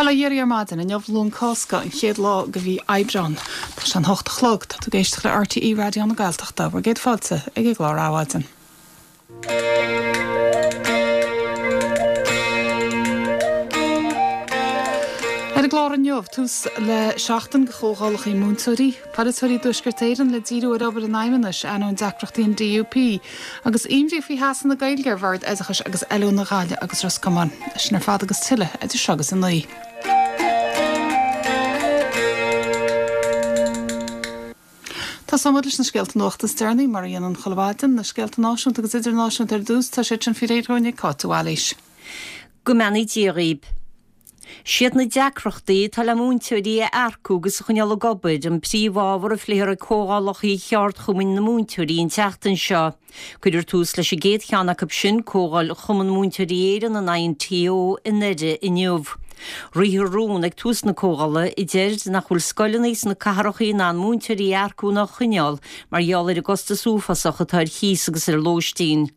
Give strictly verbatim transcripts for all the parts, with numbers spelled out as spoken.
Bail ó Dhia oraibh ar maidin, inniu Luan Cásca, an chéad lá de mhí Aibreán. Tá sé an hocht a chlog, tá tú ag éisteacht le RTÉ Raidió na Gaeltachta, bhur gcéad fáilte ag an gclár Adhmhaidin. Ar an gclár inniu, tús le seachtain de chomhdhálacha múinteoirí, polaiteoirí i dTuaisceart Éireann le díriú ar obair an Fheidhmeannais, ainneoin deacrachtaí an DUP, agus imní faoi theasa na Gaeilge ar Bhord Oideachais agus Oiliúna Ghaillimh agus Ros Comáin. Sin ar fad agus tuilleadh idir seo agus a naoi. Tosóimid leis na scéalta nuachta is deireanaí, mar a dhéanaim chuile mhaidin, na scéalta náisiúnta agus idirnáisiúnta ar dtús, tá siad sin faoi réir dhúinn ag Cáit de Bhailís. Go mbeannaí Dia dhaoib. Siad na deacrachtaí atá le múinteoirí a earcú agus a choinneáil ag obair an príomhábhar a phléifear ag comhdhálacha cheardchumainn na múinteoirí an tseachtain seo. Cuirfear tús leis an gcéad cheann acu sin, Comhdháil Chumann Múinteoirí Éireann, an INTO, i nDoire inniu. Rithfear rún ag tús na comhdhála a deir nach bhfuil scoileanna sna cathracha in ann múinteoirí a earcú ná a choinneáil mar gheall ar an gcostas uafásach atá ar chíos agus ar lóistín.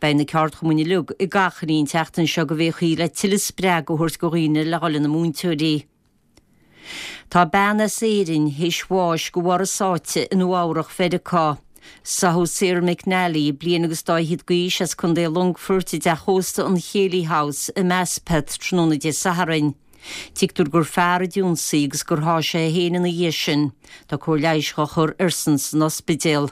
Beidh na ceardchumainn uilig ag achainí an tseachtain seo go bhféachfaí le tuilleadh spreagadh a thabhairt do dhaoine le dhul ina múinteoirí. Tá bean as Éirinn théis bháis de bharr a sáite i Nua Eabhrach Mheiriceá. Sáthadh Sarah McNally, bliain agus dá fhichead d'aois, as Contae Longfoirt i dteach ósta an Chéilí House i Maspeth tráthnóna Dé Sathairn. Tuigtear gur fear a d'ionsaigh agus gur sháigh sé é féin ina dhiaidh sin. Tá cóir leighis á chur airsean san ospidéal.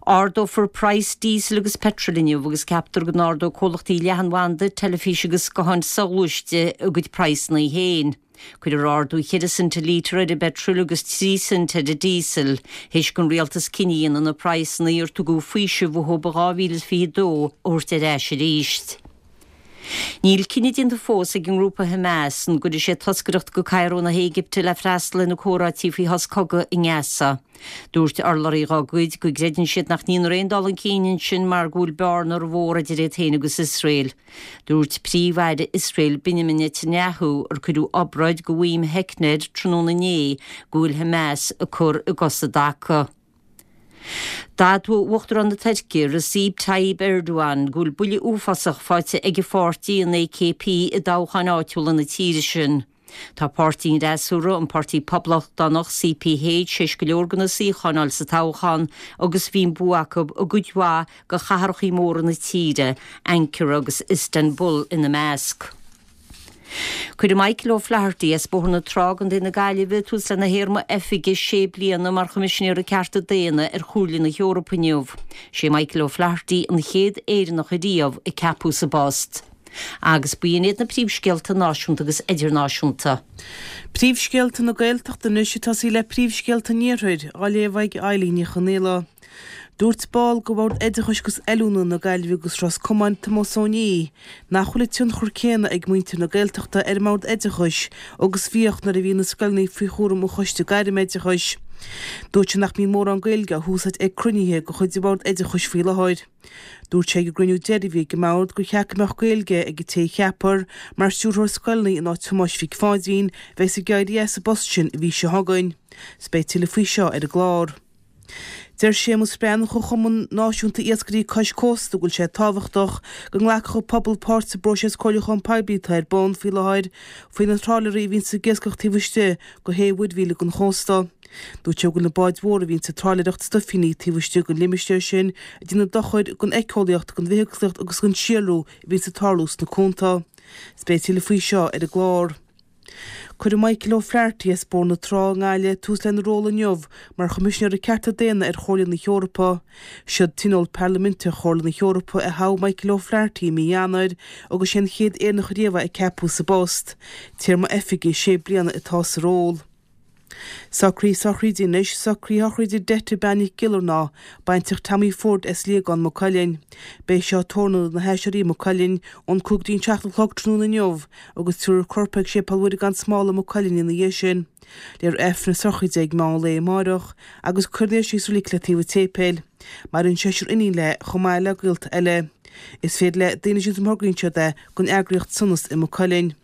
Ardófar praghas díosail agus peitril inniu agus ceaptar go n-ardóidh comhlachtaí leathanbhanda, teilifíse agus gutháin soghluaiste a gcuid praghsanna féin. Cuirfear ardú cheithre cent an lítear ar an bpeitreal agus trí cent ar an díosal, théis don rialtas cinneadh a dhéanamh na praghsanna ar tugadh faoiseamh uathu i dhá mhíle is fiche a dó a thabhairt ar ais arís. Níl cinneadh déanta fós ag an ngrúpa Hamas an gcuirfidh sé toscaireacht go Cairo na hÉigipte le freastal ar na comhráití faoi shos cogaidh i nGaza. Dúirt urlabhraí dá gcuid go gcreideann siad nach ndéanfar aon dul chun cinn ansin mar go bhfuil bearna mhór idir iad féin agus Iosrael. Dúirt Príomh-Aire Iosrael Benjamin Netanyahu, ar cuireadh obráid de mhaidhm theicne air tráthnóna inné, go bhfuil Hamas ag cur a gcos i dtaca. D'admhaigh Uachtarán na Tuirce, Recep Tayyip Erdogan, go bhfuil buille uafásach faighte ag a pháirtí, an AKP, i dtoghcháin áitiúla na tíre sin. Tá páirtí an fhreasúra, an Páirtí Poblachtánach, CPH, théis go leor de na suíocháin a fháil sa toghchán agus bhí an bua acu i gcuid mhaith de chathracha móra na tíre, Ankara agus Istanbul ina measc. Cuirfidh Michael O'Flaherty as Bóthar na Trá, Contae na Gaillimhe, tús lena théarma oifige sé bliana mar Choimisinéir Cearta Daonna ar Chomhairle na hEorpa inniu. Sé Michael O'Flaherty an chéad Éireannach ariamh a ceapadh sa bpost. Agus b'in iad na príomhscéalta náisiúnta agus idirnáisiúnta. Príomhscéalta na Gaeltachta anois ag tosaí le príomhscéalta an Iarthair, á léamh ag Eilín Ní Chonaola. Dúirt ball de Bhord Oideachais agus Oiliúna na Gaillimhe agus Ros Comáin, Tomás Ó Niaidh, nach bhfuil an tionchar céanna ag muintir na Gaeltachta ar an mBord Oideachais agus bhíodh nuair a bhí na scoileanna faoi chúram an Choiste Gairmoideachais. Dúirt sé nach mbíonn mórán Gaeilge á húsáid ag cruinnithe de chuid an Bhoird Oideachais faoi láthair. Dúirt sé ag an gcruinniú deiridh a bhí ag an mBord gur cheart go mbeadh Gaeilge ag an té a cheapfar mar stiúrthóir scoileanna in áit Thomáis Mhic Pháidín, a bheas ag éirí as an bpost sin an mhí seo chugainn. 'S beidh tuilleadh faoi seo ar an gclár. Deir Séamus Breathnach ó Chumann Náisiúnta Iascairí Cois Cósta go bhfuil sé tábhachtach go nglacfadh an pobal páirt sa bpróiseas comhairliúcháin poiblí atá ar bun faoi láthair faoi na trálaeirí a bhíonns ag iascach taobh istigh de shé mhuirmhíle den chósta. Dúirt sé go bhfuil na báid mhóra a bhíonns ag trálaeireacht stuifíní taobh istigh den limistéar sin ag déanamh dochair don éiceolaíocht, don bhithéagsúlacht agus don síolrú a bhíonns ag tarlú sna cuanta. 'S beidh tuilleadh faoi seo ar an gclár. Cuirfidh Michael O'Flaherty as Bóthar na Trá i nGaillimh tús lena ról inniu mar Choimisinéir Cearta Daonna ar Chomhairle na hEorpa. Siad Tionól Parlaiminteach Chomhairle na hEorpa a thogh Michael O'Flaherty i mí Eanáir agus sé an chéad Éireannach ariamh é a ceapadh sa bpost. Téarma oifige sé bliana atá sa ról. Socruithe sochraide anois, socruithe sochraide Detta Bean Nic Giollarnáth, baintreach Tommy Ford as Liagán Maigh Cuilinn. Beidh seo i tórramh na hAiséirí i Maigh Cuilinn ón cúig go dtí an seacht a chlog tráthnóna inniu agus tabharfar a corp ag Séipéal Mhuire gan Smál i Maigh Cuilinn ina dhiaidh sin. Léifear Aifreann na sochraide ag meán lae amáireach agus cuirfear í sa reilig le taobh an tséipéil. Maireann seisear iníon léi chomh maith le gaolta eile. Is féidir le daoine síntiús má thograíonn siad é don eagraíocht Sonas i Maigh Cuilinn.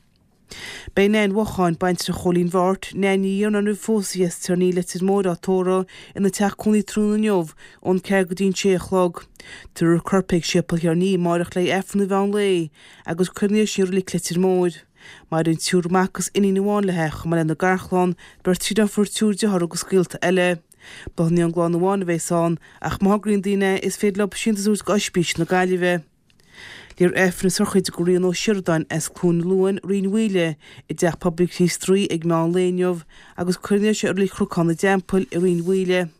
Beidh Nain Mhocháin, baintreach Chóilín Bheáirt, Nain Ní Iarnáin roimh phósadh as Tirní Leitir Móir á tórramh ina teach cónaí tráthnóna inniu ón ceathair go dtí an sé a chlog. Tabharfar a corp ag Séipéal Thirní amáireach le Aifreann an mheán lae agus cuirfear í i Reilig Leitir Móir. Maireann triúr mac agus iníon amháin léi, chomh maith lena garchlann, beirt deirfiúr, triúr dearthár agus gaolta eile. Bláthanna ón gclann amháin a bheas ann, ach má thograíonn daoine é, is féidir leo síntiús a thabhairt go Oispís na Gaillimhe. Léifear Aifreann na sochraide do Rian Ó Sioradáin as Cluain Luain, Rinn Mhaoile, i dTeach Pobail Chríost Rí ag meán lae inniu agus cuirfear é i Reilig Chnocán na dTeampall i Rinn Mhaoile.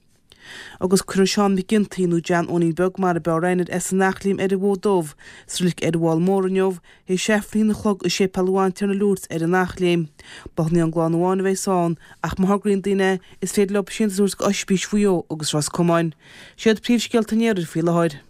Agus cuirfear Seán Mac Ginty nó John Eoinín Beag mar ab fhearr aithne air as an Eachléim ar an bhFód Dubh sa reilig ar an bhFál Mór inniu, théis Aifreann a haon a chlog i Séipéal an Bhantiarna Lourdes ar an Eachléim. Bláthanna ón gclann amháin a bheas ann ach má thograíonn daoine é, is féidir leo síntiús a thabhairt go Oispís Mhaigh Eo agus Ros Comáin. Siad príomhscéalta an Iarthair faoi láthair.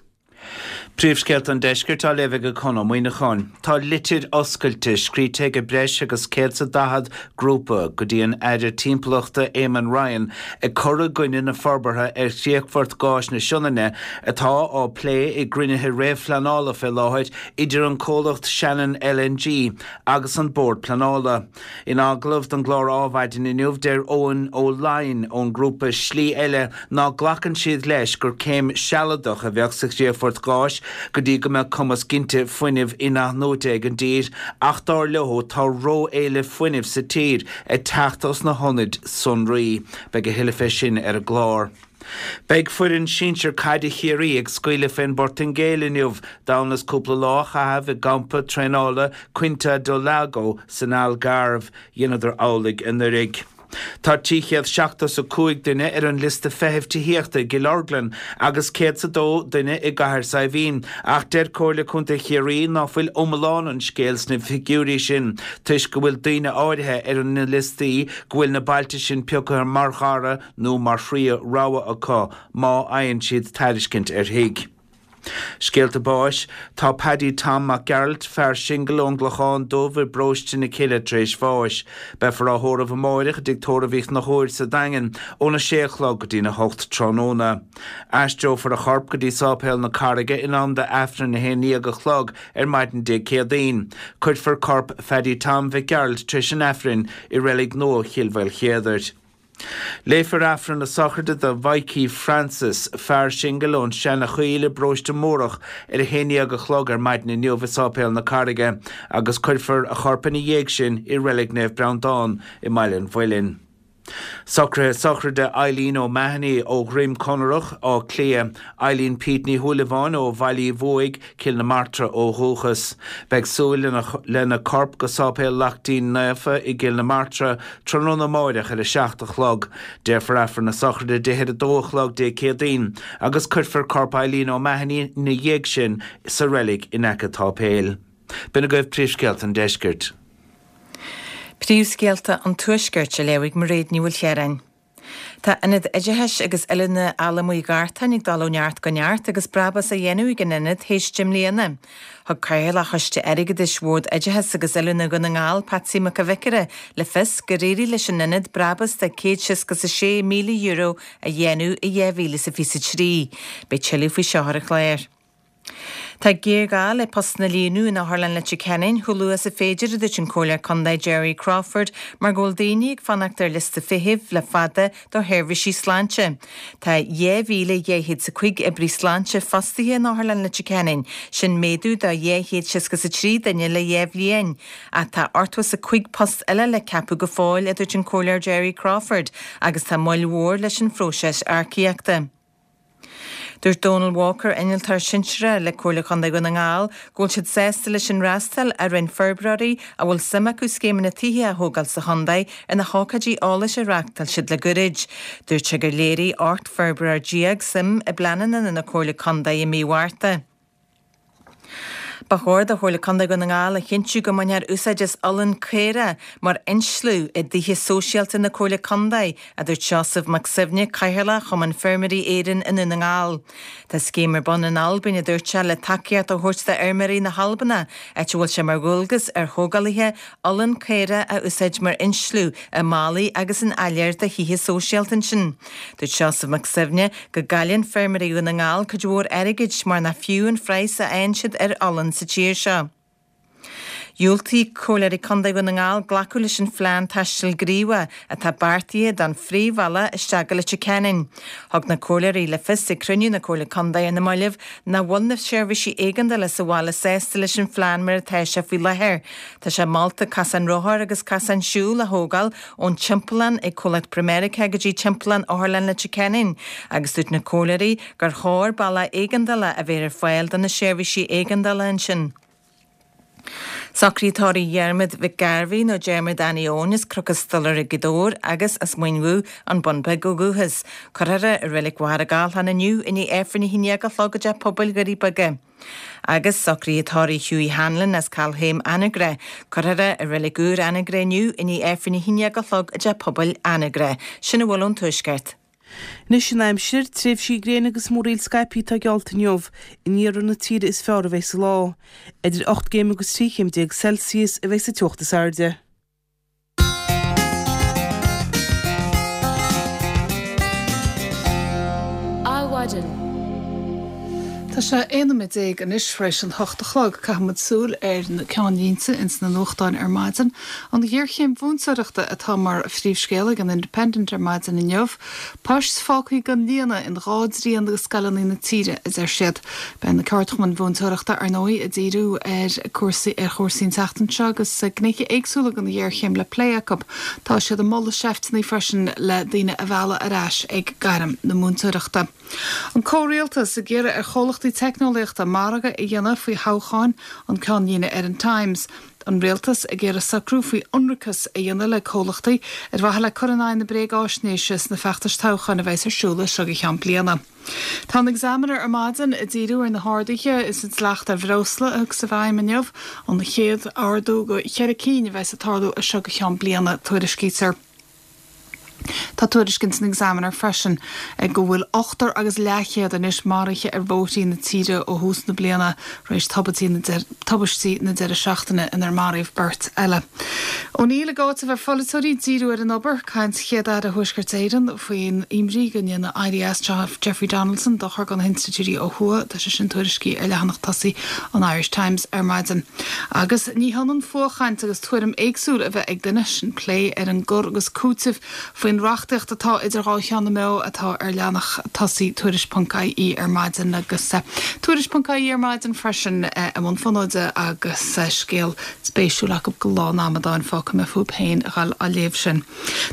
Príomhscéalta an Deiscirt á léamh ag Conn Ó Muíneacháin. Tá litir oscailte scríte ag breis agus céad is daichead grúpa go dtí an Aire Timpeallachta Eamon Ryan ag cur i gcoinne na forbartha ar chríochfort gáis na Sionainne atá á plé i gcruinnithe réamhphleanála fé láthair idir an comhlacht Shannon L N G agus an Bord Pleanála. In agallamh don gclár Adhmhaidin inniu, deir Eoin Ó Laighin ón grúpa Slí Eile ná glacann siad leis gur céim sealadach a bheadh sa chríochfort gáis go dtí go mbeadh cumas ginte fuinnimh inathnuaite ag an dtír, ach dar leo tá ró-éileamh fuinnimh sa tír ag teacht os na hionaid sonraí. Beidh a thuilleadh fé sin ar an gclár. Beidh foireann sinsir caide Chiarraí ag scaoileadh fén bPortaingéil inniu, d'fhonn is cúpla lá a chaitheamh i gcampa traenála Quinta do Lago san Algarve. Dheineadar amhlaidh anuraidh. Tá trí chéad seachtó is a cúig duine ar an liosta feithimh tithíochta i gCill Orglan agus céad is a dó duine i gCathair Saidhbhín, ach deir Comhairle Contae Chiarraí ná fuil iomlán an scéil sna figiúirí sin toisc go bhfuil daoine áirithe ar na liostaí go bhfuil na bailte sin pioctha mar dhara nó mar thríú rogha acu má fhaigheann siad tairiscint ar thigh. Scéalta báis. Tá Paddy Tom Mac Gearailt, fear singil ón gClochán Dubh i bparóiste na Cille tar éis bháis. Beifear á thórramh amárach i dtigh tórraimh Uí Chonchúir sa Daingean óna sé a chlog go dtína hocht tráthnóna. Aistreofar a chorp go dtí Sáipéal na Carraige in am d'Aifreann a haon déag a chlog ar maidin Dé Céadaoin. Cuirfear corp Phaddy Tom Mhic Gearailt tar éis an Aifrinn i reilig nua Chill Mhaoilchéadair. Léifear Aifreann na sochraide do Mhikey Francis, fear singil ón Seanachoill i bparóiste Mórdhach ar a haon déag a chlog ar maidin inniu i Sáipéal na Carraige agus cuirfear a chorp ina dhiaidh sin i reilig Naomh Breandán i mBaile an Mhuilinn. Socruithe sochraide Eileen O'Mahony ó Dhroim Conrach, Áth Cliath, Eileen Pete Ní Shúilleabháin ó Bhaile Uí Bhuaigh, Cill na Martra ó dhúchas. Beidh súil lena corp go Sáipéal Laichtín Naofa i gCill na Martra tráthnóna amárach ar a seacht a chlog. Déarfar Aifreann na sochraide di ar a dó a chlog Dé Céadaoin agus cuirfear corp Eileen O'Mahony ina dhiaidh sin sa reilig in aice an tsáipéil. B'in agaibh príomhscéalta an deiscirt. Príomhscéalta an Tuaiscirt á léamh ag Mairéad Ní Mhaoilchiaráin. Tá Ionad Oideachais agus Oiliúna Allamuigh Ghartáin ag dul ó neart go neart agus brabús á dhéanamh ag an ionad théis deich mbliana. Thug Cathaoirleach Choiste Airgeadais Bhord Oideachais agus Oiliúna Dhún na nGall, Patsy Mac an Bhiocaire, le fios gur éirigh leis an ionad brabús de céad seasca is a sé míle euro a dhéanamh i dhá mhíle is a fiche a trí. Beidh tuilleadh faoi seo ar an chlár. Tá géarghá le postanna a líonadh in Otharlann Leitir Ceanainn chomh luath is a féidir, a dúirt an Comhairleoir Contae Jerry Crawford, mar go bhfuil daoine ag fanacht ar liosta feithimh le fada do sheirbhísí sláinte. Tá dhá mhíle dhá chéad is a cúig oibrí sláinte fostaithe in Otharlann Leitir Ceanainn, sin méadú de dhá chéad seasca is a trí duine le dhá bhliain. Ach tá ochtó is a cúig post eile le ceapadh go fóill, a dúirt an Comhairleoir Jerry Crawford, agus tá moill mhór leis an phróiseas earcaíochta. Dúirt Donald Walker, innealtóir sinsearach le Comhairle Chontae Dhún na nGall, go bhfuil siad sásta leis an fhreastal a rinne forbróirí a bhfuil suim acu scéimeanna tithe a thógáil sa chontae ar na hócáidí eolais a reáchtáil siad le gairid. Dúirt sé gur léirigh ocht bhforbróir déag suim i bpleananna na Comhairle Contae i mí Mhárta. Ba chóir do Chomhairle Contae Dhún na nGall a chinntiú go mbainfear úsáid as olann caorach mar insliú i dtithe sóisialta na Comhairle Contae, a dúirt Seosamh Mac Suibhne, Cathaoirleach Chumann Feirmeoirí Éireann i nDún na nGall. Tá scéim ar bun in Albain, a dúirt sé, le tacaíocht a thabhairt d'fheirmeoirí na hAlban, áit a bhfuil sé mar dhualgas ar thógálaithe olann caorach a úsáid mar insliú i mballaí agus in áiléir do thithe sóisialta ansin. Dúirt Seosamh Mac Suibhne go gcailleann feirmeoirí Dhún na nGall cuid mhór airgid mar nach fiú an phraghas a fhaigheann siad ar olann sa tír seo. Dhiúltaigh Comhairleoirí Contae Dhún na nGall glacadh leis an phlean taistil gníomhach atá beartaithe don phríomhbhealach isteach go Leitir Ceanainn. Thug na Comhairleoirí le fios ag cruinniú na Comhairle Contae ar na mallaibh nach bhfuil na seirbhísí éigeandála sa bhaile sásta leis an phlean mar atá sé faoi láthair. Tá sé molta casán rothar agus casán siúil a thógáil ón timpeallán ag comhlacht Pramerica go dtí timpeallán Otharlann Leitir Ceanainn, agus dúirt na Comhairleoirí gur chóir bealach éigeandála a bheith ar fáil do na seirbhísí éigeandála ansin. Socruithe tórraimh Dhiarmuid Mhic Gairbhí nó Diarmuid Annie Eoin as Cnoc an Stolaire Gaoth Dobhair agus as Muin Bhuth, An Bun Beag ó dhúchas. Cuirfear é i Reilig Mhachaire Gathlán inniu i ndiaidh Aifreann a haon déag a chlog i dTeach Pobail Dhoirí Beaga. Agus socruithe tórraimh Hughie Hanlon as Cailthéim Anagaire. Cuirfear é i Reilig Úr Anagaire inniu i ndiaidh Aifreann a haon déag a chlog i dTeach Pobail Anagaire. Sin a bhfuil ón Tuaisceart. Anois an aimsir, tréimhsí gréine agus múraíl scaipthe atá geallta inniu, in iarthar na tíre is fearr a bheidh an lá. Idir ocht gcéim agus trí chéim déag Celsius a bheidh sa teocht is airde. Adhmhaidin. Tá sé aon nóiméad déag anois tar éis an hocht a chlog. Caithfidh muid súil ar na ceannlínte ins na nuachtáin ar maidin. An ghéarchéim mhúinteoireachta atá mar phríomhscéal ag an Independent ar maidin inniu. Poist fágtha gan líonadh in dhá dtrian de scoileanna na tíre, a deir siad. Beidh na ceardchumainn mhúinteoireachta, ar ndóigh, ag díriú ar cúrsaí ar chúrsaí an tseachtain seo agus gnéithe éagsúla den ghéarchéim le plé acu. Tá siad ag moladh seifteanna freisin le daoine a mhealladh ar ais ag gairm na múinteoireachta. An comhrialtas ag iarraidh ar chomhlachtaí teicneolaíochta margadh a dhéanamh faoi thoghcháin, an ceannlíne ar an Times. An rialtas ag iarraidh socrú faoi ionracas a dhéanamh le comhlachtaí ar mhaithe le cur in aghaidh na bréagáisnéise sna feachtais toghcháin a bheas ar siúl as seo go ceann bliana. Tá an Examiner ar maidin ag díriú ar na harduithe is an dleacht ar bhreosla a thiocfas i bhfeidhm inniu, an chéad ardú de cheithre cinn a bheas ag tarlú as seo go ceann bliana, tuairiscítear. Tá tuairisc ins an Examiner freisin go bhfuil ochtar agus leathchéad anois maraithe ar bhóithrí na tíre ó thús na bliana tar éis tubaistí na deireadh seachtaine inar maraíodh beirt eile. O'Neill ag áiteamh ar pholaiteoirí díriú ar an obair, caint Chéad-Aire Thuaisceart Éireann faoin imní go ndéanfaidh éirí as Jeffrey Donaldson dochar do na hinstitiúidí ó thuaidh, tá sé sin tuairiscithe ar leathanach tosaigh an Irish Times ar maidin. Agus ní hionann fuathchaint agus tuairim éagsúil a bheith ag duine, sin plé ar an gcur agus cúiteamh faoin reachtaíocht atá idir dhá cheann na meá atá ar leathanach tosaigh Tuairisc ponc ie ar maidin agus Tuairisc ponc ie ar maidin freisin i mbun fonóide agus scéal spéisiúil acu go Lá an Amadáin, fágfaidh mé fúibh féin a dhul á léamh sin.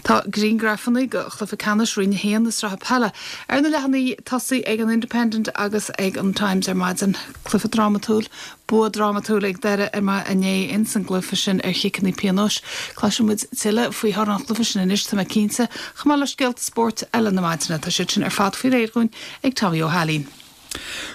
Tá grianghrafanna de chluiche ceannais Roinn a haon na sraithe peile ar na leathanaigh tosaigh ag an Independent agus ag an Times ar maidin. Cluiche drámatúil, bua drámatúil ag deireadh ar inné ins an gcluiche sin ar chiceanna pionóis. Cloisfidh muid tuilleadh faoi thoradh an chluiche sin anois, tá mé cinnte, chomh maith le scéalta spóirt eile na maidine. Tá siad sin ar fad faoi réir dhúinn ag Tommy Ó hAilín.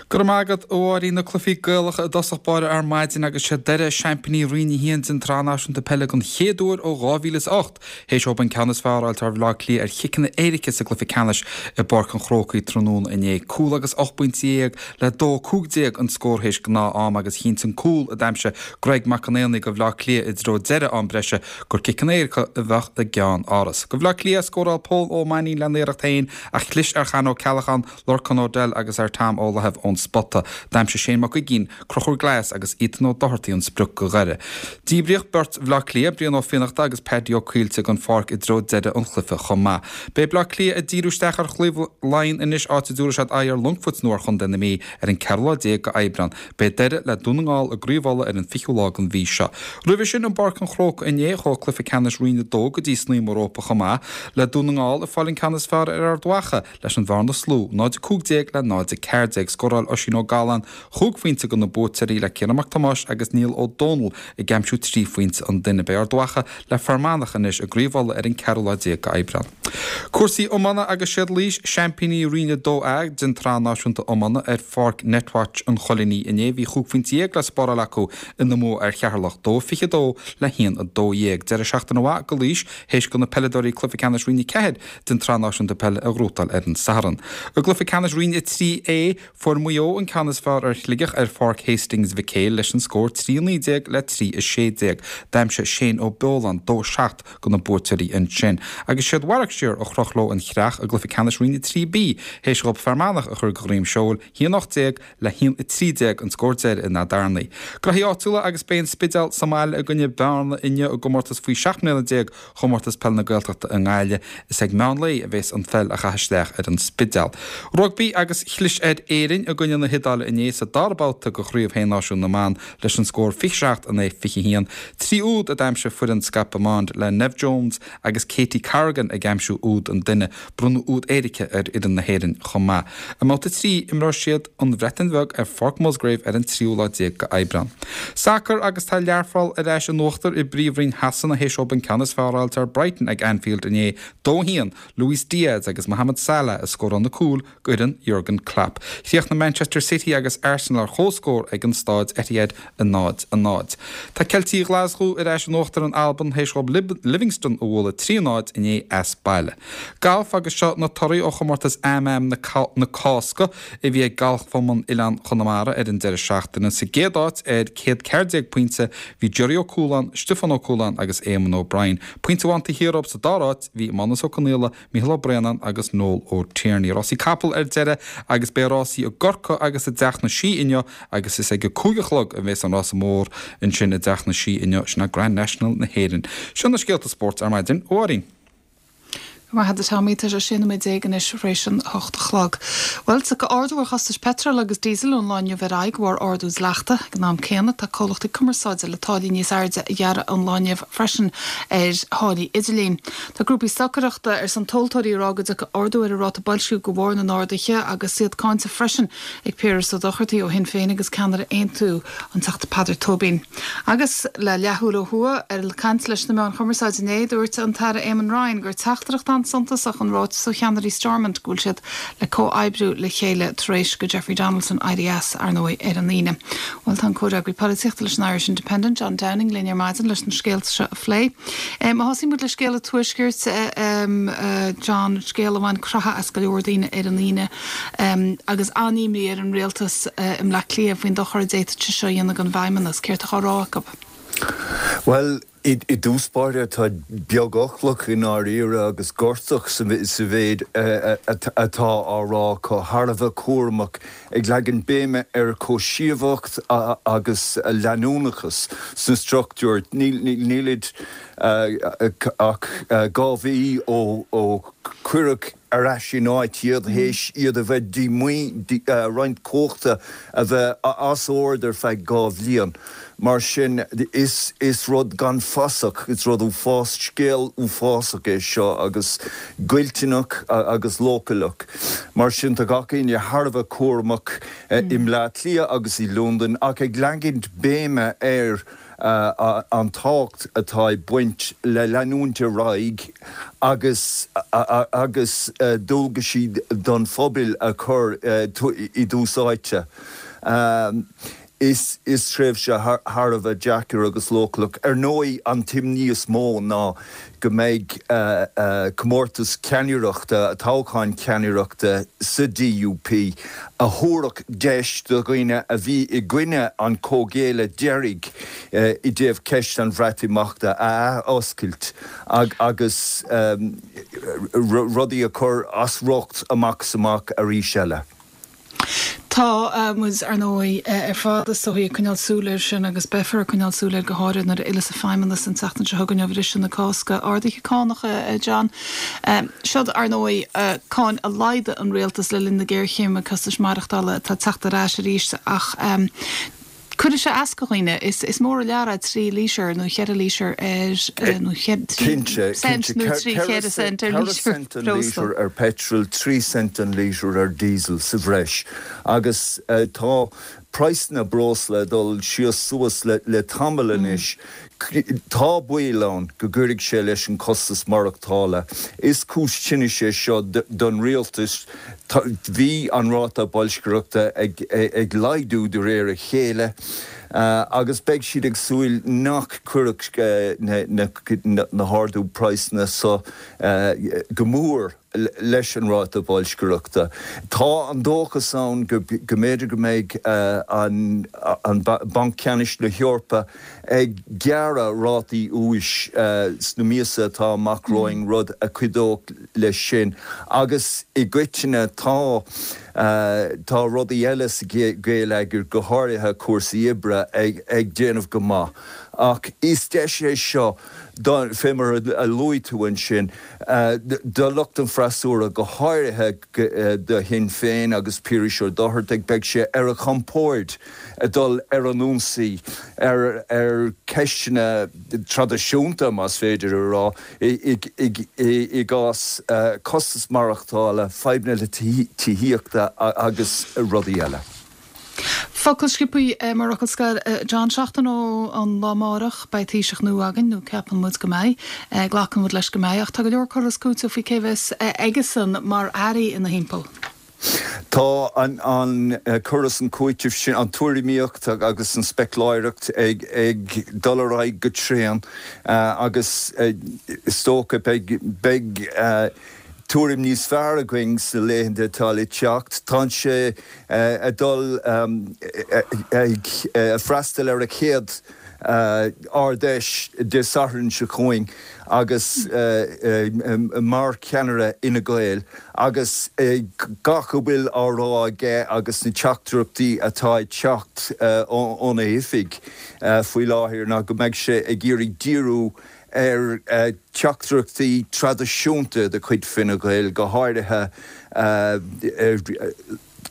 Go raibh maith agat, a Mháirín. Na cluichí Gaelacha i dtosach báire ar maidin agus sé Doire seaimpíní Roinn a haon den tSraith Náisiúnta Peile den chéad uair ó dhá mhíle is ocht, théis dóibh an ceann is fearr a fháilt ar Bhaile Átha Cliath ar chiceanna éirice sa gcluiche ceannais i bPáirc an Chrócaigh tráthnóna inné. Cúl agus ocht bpointe dhéag le dó cúig déag an scór théis gnáth-am agus chinntigh an cúl a d'aimsigh Greg Mac Con Éanaigh do Bhaile Átha Cliath i dtreo deireadh am breise gur ciceanna éirice a bheadh i gceann áras. Do Bhaile Átha Cliath scóráil Pól Ó Mainnín lena iarracht féin ach chlis ar Chan Ó Ceallacháin, Lorcán O'Dell agus ar Tom Ó Laithimh ón spota. D'aimsigh Shane Mac Uiginn, Conchúr Glass agus Ethan Ó Dochartaigh an sprioc do Dhoire. Díbríodh beirt Bhaile Átha Cliath, Brian Ó Fiannachta agus Paddy Ó Caoilte den pháirc i dtreo deireadh an chluiche chomh maith. Beidh Baile Átha Cliath ag díriú isteach ar Chraobh Laighean anois áit a dtabharfaidh siad aghaidh ar Longfort nó ar Chontae na Mí ar an ceathrú lá déag de Aibreán. Beidh Doire le Dún na nGall i gCraobh Uladh ar an fichiú lá den mhí seo. Roimhe sin i bPáirc an Chrócaigh inné chuaigh cluiche ceannais Roinn a dó go dtí snaidhm an rópa chomh maith, le Dún na nGall ag fáil an ceann is fearr ar Ard Mhacha leis an bhearna is lú, náid a cúig déag le náid a ceathair déag. Scóráil Oisín Ó Galláin chúig phointe do na buaiteoirí le Ciarán Mac Tomáis agus Niall Ó Dónaill ag aimsiú trí phointe an duine. Beidh Ard Mhacha le Fear Manach anois i gCraobh Uladh ar an ceathrú lá déag d'Aibreán. Cúrsaí iomána agus siad Laois seaimpíní Roinn a dó A den tSraith Náisiúnta Iomána ar pháirc Netwatch an Choilínigh inné. Bhí chúig phointe dhéag le spáráil acu ina mbua ar Cheatharlach, dó fiche dó le haon a dó dhéag. Deireadh seachtaine mhaith do Laois théis do na peileadóirí cluiche ceannais Roinn a ceathair den tSraith Náisiúnta Peile a ghnóthachtáil ar an Satharn. I gcluiche ceannais Roinn a trí A, fuair Maigh Eo an ceann is fearr ar Shligeach ar pháirc Hastings Mhic Éil leis an scór trí a naoi déag le trí a sé déag. D'aimsigh Shane Ó Beoláin dó seacht do na buaiteoirí ansin. Agus siad Warwickshire Yorkshire a chroch leo an chreach i gcluiche ceannais Roinn a trí B théis dhóibh Fear Manach a chur de dhroim seoil, a haon ocht déag le haon a trí déag an scór deiridh in Áth Earnaí. Gnoithí áitiúla agus beidh an Spidéal sa mbaile i gcoinne Bearna inniu i gcomórtas faoi seacht mbliana déag Chomórtas Peile na Gaeltachta i nGaillimh. Is ag meán lae a bheas an pheil á chaitheamh isteach ar an Spidéal. Rugbaí agus chlis ar Éirinn i gcoinne na hIodáile inné sa dara babhta de Chraobh Shé Náisiún na mBan leis an scór fiche seacht a naoi fiche a haon. Trí úd a d'aimsigh foireann Scott Bemond le Neve Jones agus Katie Corrigan ag aimsiú úd an duine. Bronnadh úd éirice ar fhoireann na hÉireann chomh maith. I mbabhta a trí, imreoidh siad an Bhreatain Bheag ar Pháirc Musgrave ar an tríú lá déag de Aibreán. Sacar agus tá Learpholl ar ais in uachtar i bPríomhroinn Shasana théis dóibh an ceann is fearr a fháilt ar Brighton ag Anfield inné, dó a haon, Luis Diaz agus Mohamed Salah a scóráil na cúil d'fhoireann Jurgen Klopp. Chríochnaigh Manchester City agus Arsenal ar comhscór ag an staid Etihad a náid a náid. Tá Ceiltigh Ghlaschú ar ais in uachtar in Albain théis dóibh Livingston a bhualadh trí a náid inné as baile. Galf agus seo na torthaí ó chomórtas Am-Am na Cásca a bhí ag Galfchumann Oileán Chonamara ar an deireadh seachtaine. Sa gcéad áit ar céad ceathair déag pointe bhí Gerry Ó Cualáin, Stiofán Ó Cualáin agus Éamonn O'Brien. Pointe amháin taobh thiar dóibh sa dara háit bhí Mánas Ó Conaola, Mícheál Ó Braonáin agus Noel Ó Tierney. Rásaí capall ar deireadh agus beidh rásaí i gCorcaigh agus i dTeach na Sí inniu agus is ag a cúig a chlog a bheas an rása mór ansin i dTeach na Sí inniu, sin é Grand National na hÉireann. Seo na scéalta spóirt ar maidin, a Mháirín. Go raibh maith agat a Tommy, tá sé sé nóiméad déag anois tar éis an hocht a chlog. Bhuel, tiocfaidh ardú ar chostais peitril agus díosail ón lá inniu ar aghaidh de bharr ardú dleachta. Ag an am céanna, tá comhlachtaí cumarsáide le táillí níos airde a ghearradh ón lá inniu freisin ar tháillí idirlín. Tá grúpaí stocaireachta ar son tomhaltóirí ag rá go dtiocfaidh ardú ar an ráta boilsciú de bharr na n-arduithe agus iad cáinte freisin ag Piaras Ó Dochartaigh ó Shinn Féin agus ceannaire Aontú, an Teachta Peadar Tóibín. Agus le leathuair ó thuaidh, ar caint leis na meáin chumarsáide inné, dúirt an tAire Eamon Ryan gur teachtaireacht an-suntasach an ráiteas ó cheannairí Stormont go bhfuil siad le comhoibriú le chéile tar éis do Jeffrey Donaldson éirí as, ar ndóigh, ar an Aoine. Bhuel, tá an comhfhreagraí polaitíochta leis an Irish Independent, John Downing, linn ar maidin leis na scéalta seo a phlé. Má thosaíonn muid le scéal an Tuaiscirt, John, scéal a bhain croitheadh as go leor daoine ar an Aoine agus an-imní ar an rialtas i mBleá Cliath faoin dochar a d'fhéadfadh sé seo a dhéanamh don bhFeidhmeannas. Céard atá á rá acu? Bhuel, i dtús báire tá beagfhoclach i ndáiríre agus gortach sa mhéid atá á rá acu, thar a bheith cúramach, ag leagan béime ar chomhsheasmhacht agus leanúnachas sna struchtúir. Nílid ach dhá mhí ó cuireadh ar ais in áit iad théis iad a bheith díomhaoin, roinnt cumhachta a bheith as ord ar feadh dhá bhliain. Mar sin, is is rud gan fasach, is rud uafás, scéal uafásach é seo agus goilliúnach agus leochaileach. Mar sin, tá gach éinne thar a bheith cúramach i mBleá Cliath agus i Londain ach ag leagaint béime ar an tábhacht atá ag baint le leanúint ar aghaidh agus agus dualgaisí don phobal a chur i dtús áite. Is is tréimhse thar a bheith deacair agus leochaileach. Ar ndóigh, an t-imní is mó ná go mbeidh comórtas ceannaireachta, toghchán ceannaireachta sa DUP a thabharfadh deis do dhaoine a bhí i gcoinne an comhghéilleadh deiridh i dtaobh ceist an Bhreatimeachta a athoscailt agus rudaí a chur as riocht amach is amach arís eile. Tá muid, ar ndóigh, ar fad is dóigh ag coinneáil súil air sin agus beifear ag coinneáil súil air go háirithe nuair a fhilleas an Feidhmeannas an tseachtain seo chugainn ó bhriseadh na Cásca. Arduithe cánach, a John. Siod, ar ndóigh, cáin a laghdaigh an rialtas le linn na géarchéime costais maireachtála atá ag teacht ar ais arís ach cuirfidh sé as do dhaoine. Is mór an lear é trí lítear nó cheithre lítear ar, nó trí cent nó trí cheithre cent ar lítear breosla. Ceithre cent an lítear ar petrol, trí cent an lítear ar diesel sa bhreis. Agus tá praghsanna breosla ag dul síos suas le tamall anois. Tá baol ann go gcuirfidh sé leis an costas maireachtála. Is cúis tinnis é seo don rialtas. Bhí an ráta boilscireachta ag laghdú de réir a chéile agus beidh siad ag súil nach gcuirfeadh na hardú praghsanna seo go mór leis an ráta boilscireachta. Tá an dóchas ann go mb'fhéidir go mbeidh an Banc Ceannais na hEorpa ag gearradh gearradh rátaí úis sna míosa atá amach romhainn, rud a chuideodh leis sin. Agus i gcoitinne tá tá rudaí eile sa gheilleagar, go háirithe cúrsaí oibre, ag déanamh go maith. Ach is deis é seo, fé mar a luaigh tú ansin, do lucht an fhreasúra, go háirithe do Shinn Féin agus Piaras Ó Dochartaigh, beidh sé ar a chompord dul ar an ionsaí ar ar cheisteanna traidisiúnta, más féidir a rá, i gcás costas maireachtála, fadhbanna le tithíochta agus rudaí eile. Focal sciobtha mar fhocal scoir, John, seachtain ón lá amárach beidh Taoiseach nua againn, nó ceapann muid go mbeidh, glacann muid leis go mbeidh, ach tá go leor cur is cúiteamh faoi cé bheas aigesan mar airí ina thimpeall. Tá an cur is an cúiteamh sin, an tuairimíocht agus an speicléireacht ag dul ar aghaidh go tréan agus is dócha beidh tuairim níos fearr againn sna laethanta atá le teacht. Tá sé ag dul ag freastal ar a chéad Ard-Fheis Dé Sathairn seo chugainn agus mar cheannaire Fhine Gael agus gach a bhfuil á rá aige agus na teachtaireachtaí atá ag teacht óna oifig faoi láthair ná go mbeidh sé ag iarraidh díriú ar theachtaireachtaí traidisiúnta de chuid Fine Gael, go háirithe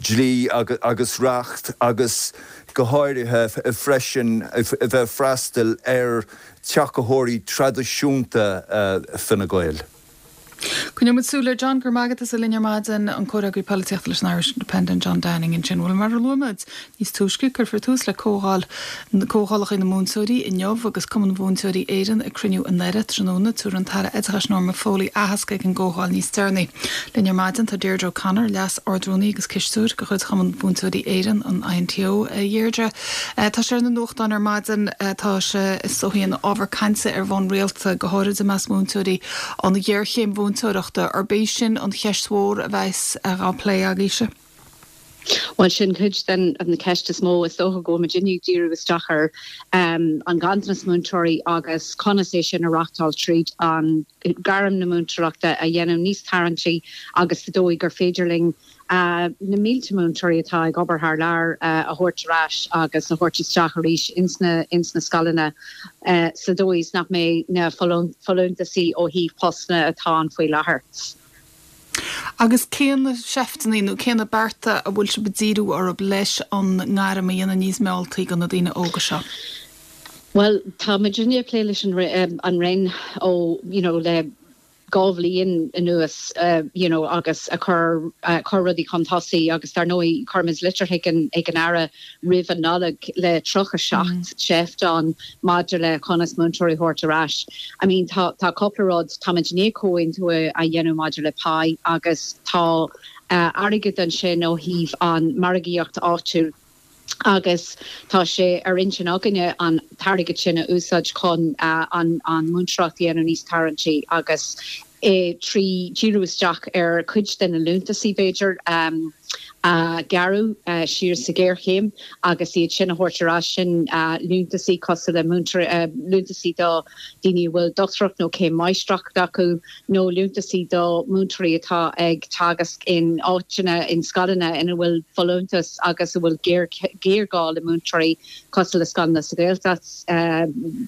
dlí agus reacht agus go háirithe freisin a bheith ag freastal ar tacaitheoirí traidisiúnta Fine Gael. Coinneoidh muid súil air. John, go raibh maith agat as a bheith linn ar maidin, an Comhfhreagraí Polaitíochta leis an Irish Independent, John Downing ansin. Bhuel, mar a luaigh muid níos túisce, cuirfear tús le comhdháil comhdhálacha na múinteoirí inniu agus Cumann Mhúinteoirí Éireann ag cruinniú i nDoire tráthnóna. Tabharfaidh an tAire Oideachais Norma Foley aitheasc ag an gcomhdháil níos deireanaí. Linn ar maidin tá Deirdre O'Connor, Leas-Ardrúnaí agus Cisteoir de chuid Chumann Mhúinteoirí Éireann, an INTO. A Dheirdre, tá sé ar na nuachtáin ar maidin, tá sé is dóichí ina ábhar cainte ar bhonn rialta, go háirid i measc múinteoirí, an ghéarchéim mhúinteoireachta, arb é sin an cheist mhór a bheas á plé agaibhse? Bhuel, sin cuid den cheist is mó. Is dócha go bhfuil muidinne ag díriú isteach ar an ganntanas múinteoirí agus conas é sin a reáchtáil tríd an gairm na múinteoireachta a dhéanamh níos tarraingtí agus sa dóigh gur féidir linn na mílte múinteoirí atá ag obair thar lear a thabhairt ar ais agus a thabhairt isteach arís ins na ins na scoileanna sa dóigh is nach mbeidh na folúntaisí ó thaobh postanna atá ann faoi láthair. Agus cé na seifteanna nó cé na bearta a bhfuil sibh ag díriú orthu leis an ngairm a dhéanamh níos mealltaí do na daoine óga seo? Bhuel, tá muidinne ag plé leis an an Roinn ó you know le dhá bhliain anuas you know agus a chur chur rudaí chun tosaigh agus dar ndóigh chuir muid litir chuig an ag an Aire roimh an Nollaig le tríocha seacht seift ann maidir le conas múinteoirí a thabhairt ar ais. I mean tá tá cúpla rud, táimid i ndiaidh comhaontú a dhéanamh maidir le pá agus tá airgead ansin ó thaobh an margaíocht áitiúil agus tá sé ar intinn againne an t-airgead sin a úsáid chun an an múinteoireacht a dhéanamh níos tarraingtí agus trí díriú isteach ar chuid de na liúntasaí b'fhéidir a gearradh siar sa ghéarchéim agus iad sin a thabhairt ar ais, sin liúntasaí cosúil le liúntasaí do daoine a bhfuil dochtúireacht nó céim máistreachta acu nó liúntasaí do múinteoirí atá ag teagasc in áiteanna, in scoileanna ina bhfuil folúntas agus a bhfuil géarghá le múinteoirí cosúil le scoileanna sa Ghaeltacht,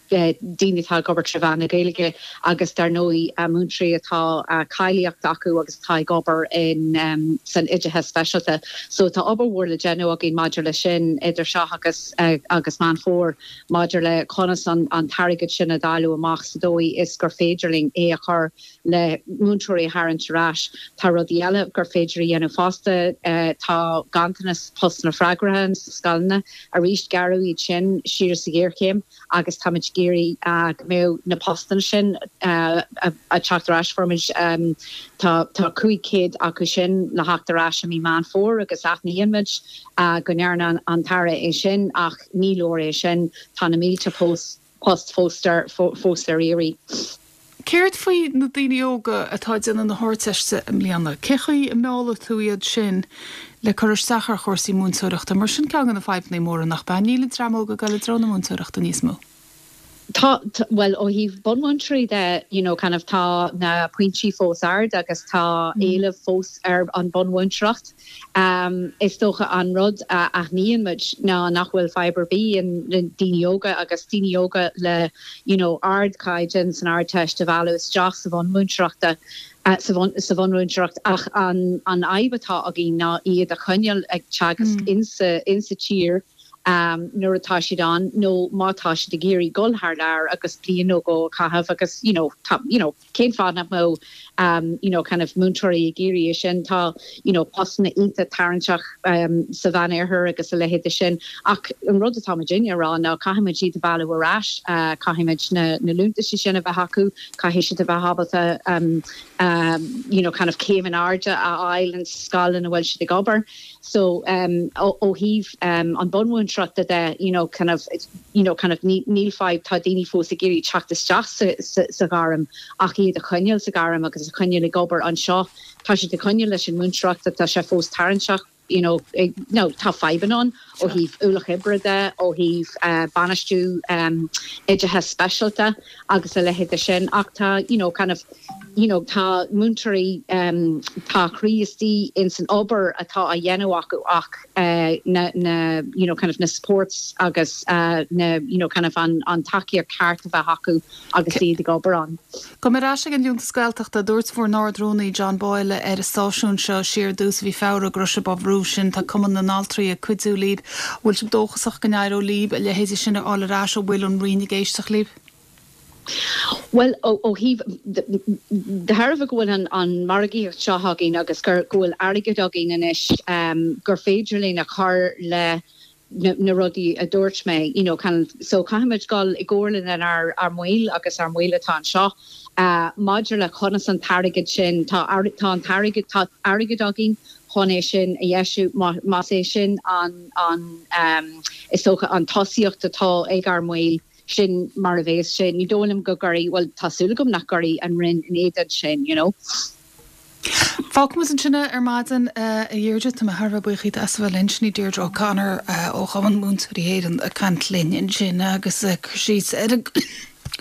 daoine atá ag obair trí mheán na Gaeilge agus dar ndóigh múinteoirí atá cáilíocht acu agus atá ag obair in san oideachas speisialta. So tá obair mhór le déanamh againn maidir leis sin idir seo agus agus Meán Fómhair maidir le conas an an t-airgead sin a dháileadh amach sa dóigh is gur féidir linn é a chur le múinteoirí a tharraingt ar ais. Tá rudaí eile gur féidir a dhéanamh fosta. Tá ganntanas postanna freagracha sna scoileanna. Arís gearradh iad sin siar sa ghéarchéim agus táimid ag iarraidh go mbeadh na postanna sin ag teacht ar ais. Fuair muid tá tá cúig chéad acu sin le theacht ar ais i mí Meán Fómhair agus aithníonn muid go ndearna an tAire é sin ach ní leor é sin, tá na mílte post fós ar fós ar iarraidh. Céard faoi na daoine óga atá ag déanamh na hArdteiste i mbliana? Cé chaoi a meallfaidh tú iad sin le cur isteach ar chúrsaí múinteoireachta? Mar sin ceann de na fadhbanna móra, nach ea? Níl an dream óg ag dul i dtreo na múinteoireachta níos mó. Tá, bhuel, ó thaobh bunmhúinteoirí de, you know, kind of tá na pointí fós ard agus tá éileamh fós ar an bunmhúinteoireacht. Um, is dócha an rud a aithníonn muid ná nach bhfuil fadhb ar bith le daoine óga agus daoine óga le, you know, ardchaighdeán san Ardteist a mhealladh isteach sa bhunmhúinteoireachta uh, sa bhunmhúinteoireacht ach an an fhadhb atá againn ná iad a choinneáil ag teagasc mm. insa insa tír um, nuair atá siad ann nó má tá siad ag iarraidh dul thar lear agus bliain nó dhó a chaitheamh agus you know, tá, you know, cén fáth nach mbeadh um, you know, kind of múinteoirí ag iarraidh sin tá you know, postanna iontach tarraingteach um, sa Mheánoirthear agus a leithéid sin ach an rud atá muidinne a rá ná caithfimid iad a mhealladh ar ais uh, caithfimid na, na liúntais sin a bheith acu caithfidh siad a bheith ábalta um, um, you know, kind of céim in airde a fháil an scoil ina bhfuil siad ag obair. So um, ó thaobh um, an bunmhúinteoireachta de you know, kind of, you know, kind of níl fadhb tá daoine fós ag iarraidh teacht isteach sa, sa, sa ghairm ach iad a choinneáil sa ghairm agus a choinneáil ag obair anseo tá siad ag coinneáil leis an múinteoireacht tá sé fós tarraingteach you know, ag, no, tá fadhbanna ann ó thaobh ualach oibre de ó thaobh uh, bainistiú um, oideachas speisialta agus a leithéid sin ach tá you know, kind of, you know, tá múinteoirí um, tá croí istigh in san obair atá á dhéanamh acu ach uh, na, na, you know, kind of na supports agus uh, na, you know, kind of an, an tacaíocht ceart a bheith acu agus iad ag obair ann. Go ar ais ag an Liúntas Gaeltachta dúirt bhur nArd-Rúnaí John Boyle ar an stáisiún seo siar i dtús mhí Feabhra go raibh sibh á bhrú sin tá Cumann na nAltraí ag cuidiú libh, bhfuil sibh dóchasach go n-éireoidh libh a leithéidí sin a fháil ar ais an bhfuil an Roinn ag éisteacht libh? Well ó thaobh de thairbhe go bhfuil an, an margaíocht seo againn agus gur go bhfuil airgead againn anois um, gur féidir linn a chur le na, na rudaí a dúirt mé you know, kind of, so caithfimid dul i gcomhairle lenár ár mbaill agus ár mbaill atá anseo uh, maidir le conas an t-airgead sin tá tá an t-airgead tá airgead againn chun é sin a dheisiú más é sin an an um, is dócha an tosaíocht atá ag ár mbaill sin mar a bheas sé ní dóigh liom go gcuirfidh well tá súil agam nach gcuirfidh an Roinn in éadan sin you know. Fágfaimid ansin ar maidin a Dheirdre tá mé thar a bheith buíoch díot as a bheith linn sin í Deirdre O'Connor ó Chumann Múinteoirí Éireann ag caint linn ansin agus cur síos ar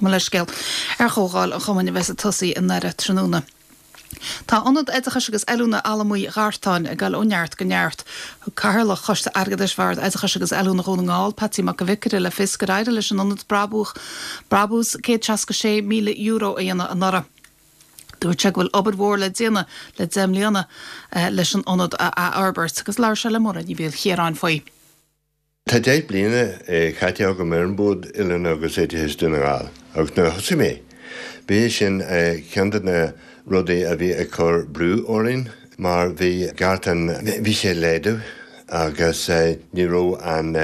mo leithscéal ar chomhdháil an chumainn a bheas ag tosaí i nDoire tráthnóna. Tá Ionad Oideachais agus Oiliúna Allamuigh Ghartáin ag dul ó neart go neart. Thug Cathaoirleach Choiste Airgeadais Bhord Oideachais agus Oiliúna Dhún na nGall, Patsy Mac an Bhiocaire le fios gur éirigh leis an ionad brabús brabús céad seasca sé míle euro a dhéanamh anuraidh. Dúirt sé go bhfuil obair mhór le déanamh le deich mbliana leis an ionad a athfhorbairt agus labhair sé le Máire Ní Mhaoilchiaráin faoi. Tá deich bliana caite agam ar an Bord Oiliúna agus Oideachais Dún na nGall agus nuair a thosaigh mé, b'é sin ceann de na rudaí a bhí ag cur brú orainn mar bhí Gartán, bhí sé ag laghdú agus ní raibh an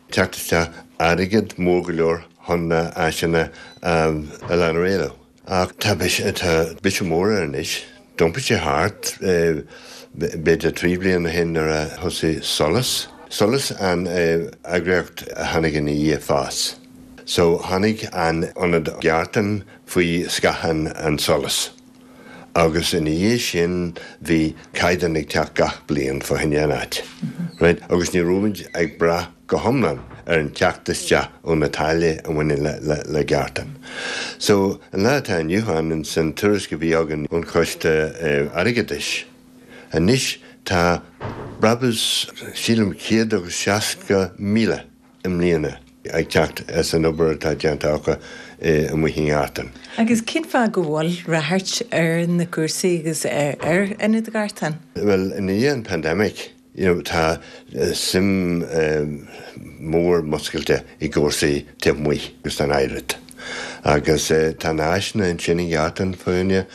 teacht isteach airgid mór go leor chun na áiseanna a lean ar aghaidh leo. Ach tá biseach mór air anois. D'iompaigh sé thart b'fhéidir trí bliana ó shin nuair a thosaigh Solas. Solas an eagraíocht a tháinig ina dhiaidh FÁS. So tháinig an ionad Gartán faoi scáth an Solas. Agus ina dhiaidh sin bhí caighdeán ag teacht gach bliain fá choinne an áit. Right? Agus ní raibh muid ag brath go hiomlán ar an teacht isteach ó na táillí a bhaineann le, le, le Gartán. So an lá atá inniu ann san tuairisc a bhí againn ón choiste eh, airgeadais. Anois tá brabús sílim céad agus seasca míle i mbliana ag teacht as an obair atá déanta acu amuigh i nGartán. Agus cén fáth go bhfuil ráchairt ar na cúrsaí agus ar Ionad Gartán? Well i ndiaidh an pandemic you know, tá suim mór muscailte i gcúrsaí taobh amuigh agus an oiread. Agus tá na háiseanna ansin i nGartán fá choinne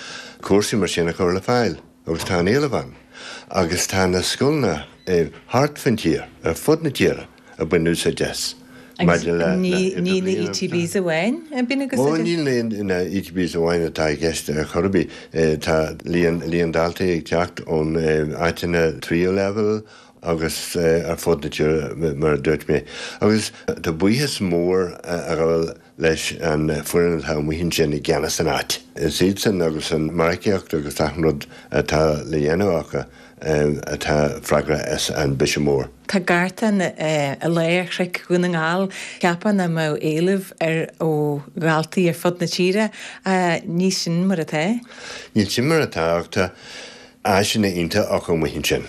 cúrsaí mar sin a chur le fáil agus tá an éileamh ann. Agus tá na scoileanna thart fan tír ar fud na tíre ag baint úsáid as. Agus ní na ETBs amháin a bhíonn agus Ó níl na ETBs amháin atá i gceist ar chor ar bith tá líon líon daltaí ag teacht ón áiteanna tríú leibhéal agus ar fud na tíre mar a dúirt mé. Agus tá buíochas mór a ghabháil leis an foireann atá amuigh ansin i gceannas an áit. Is iadsan agus an margaíocht agus achan rud atá le dhéanamh acu atá freagrach as an biseach mór. Tá Gartán i lár chnoic Dhún na nGall. Cheapfá nach mbeadh éileamh air ó dhaltaí ar fud na tíre. Ní sin mar atá. Níl sin mar atá ach tá áiseanna iontacha acu amuigh ansin.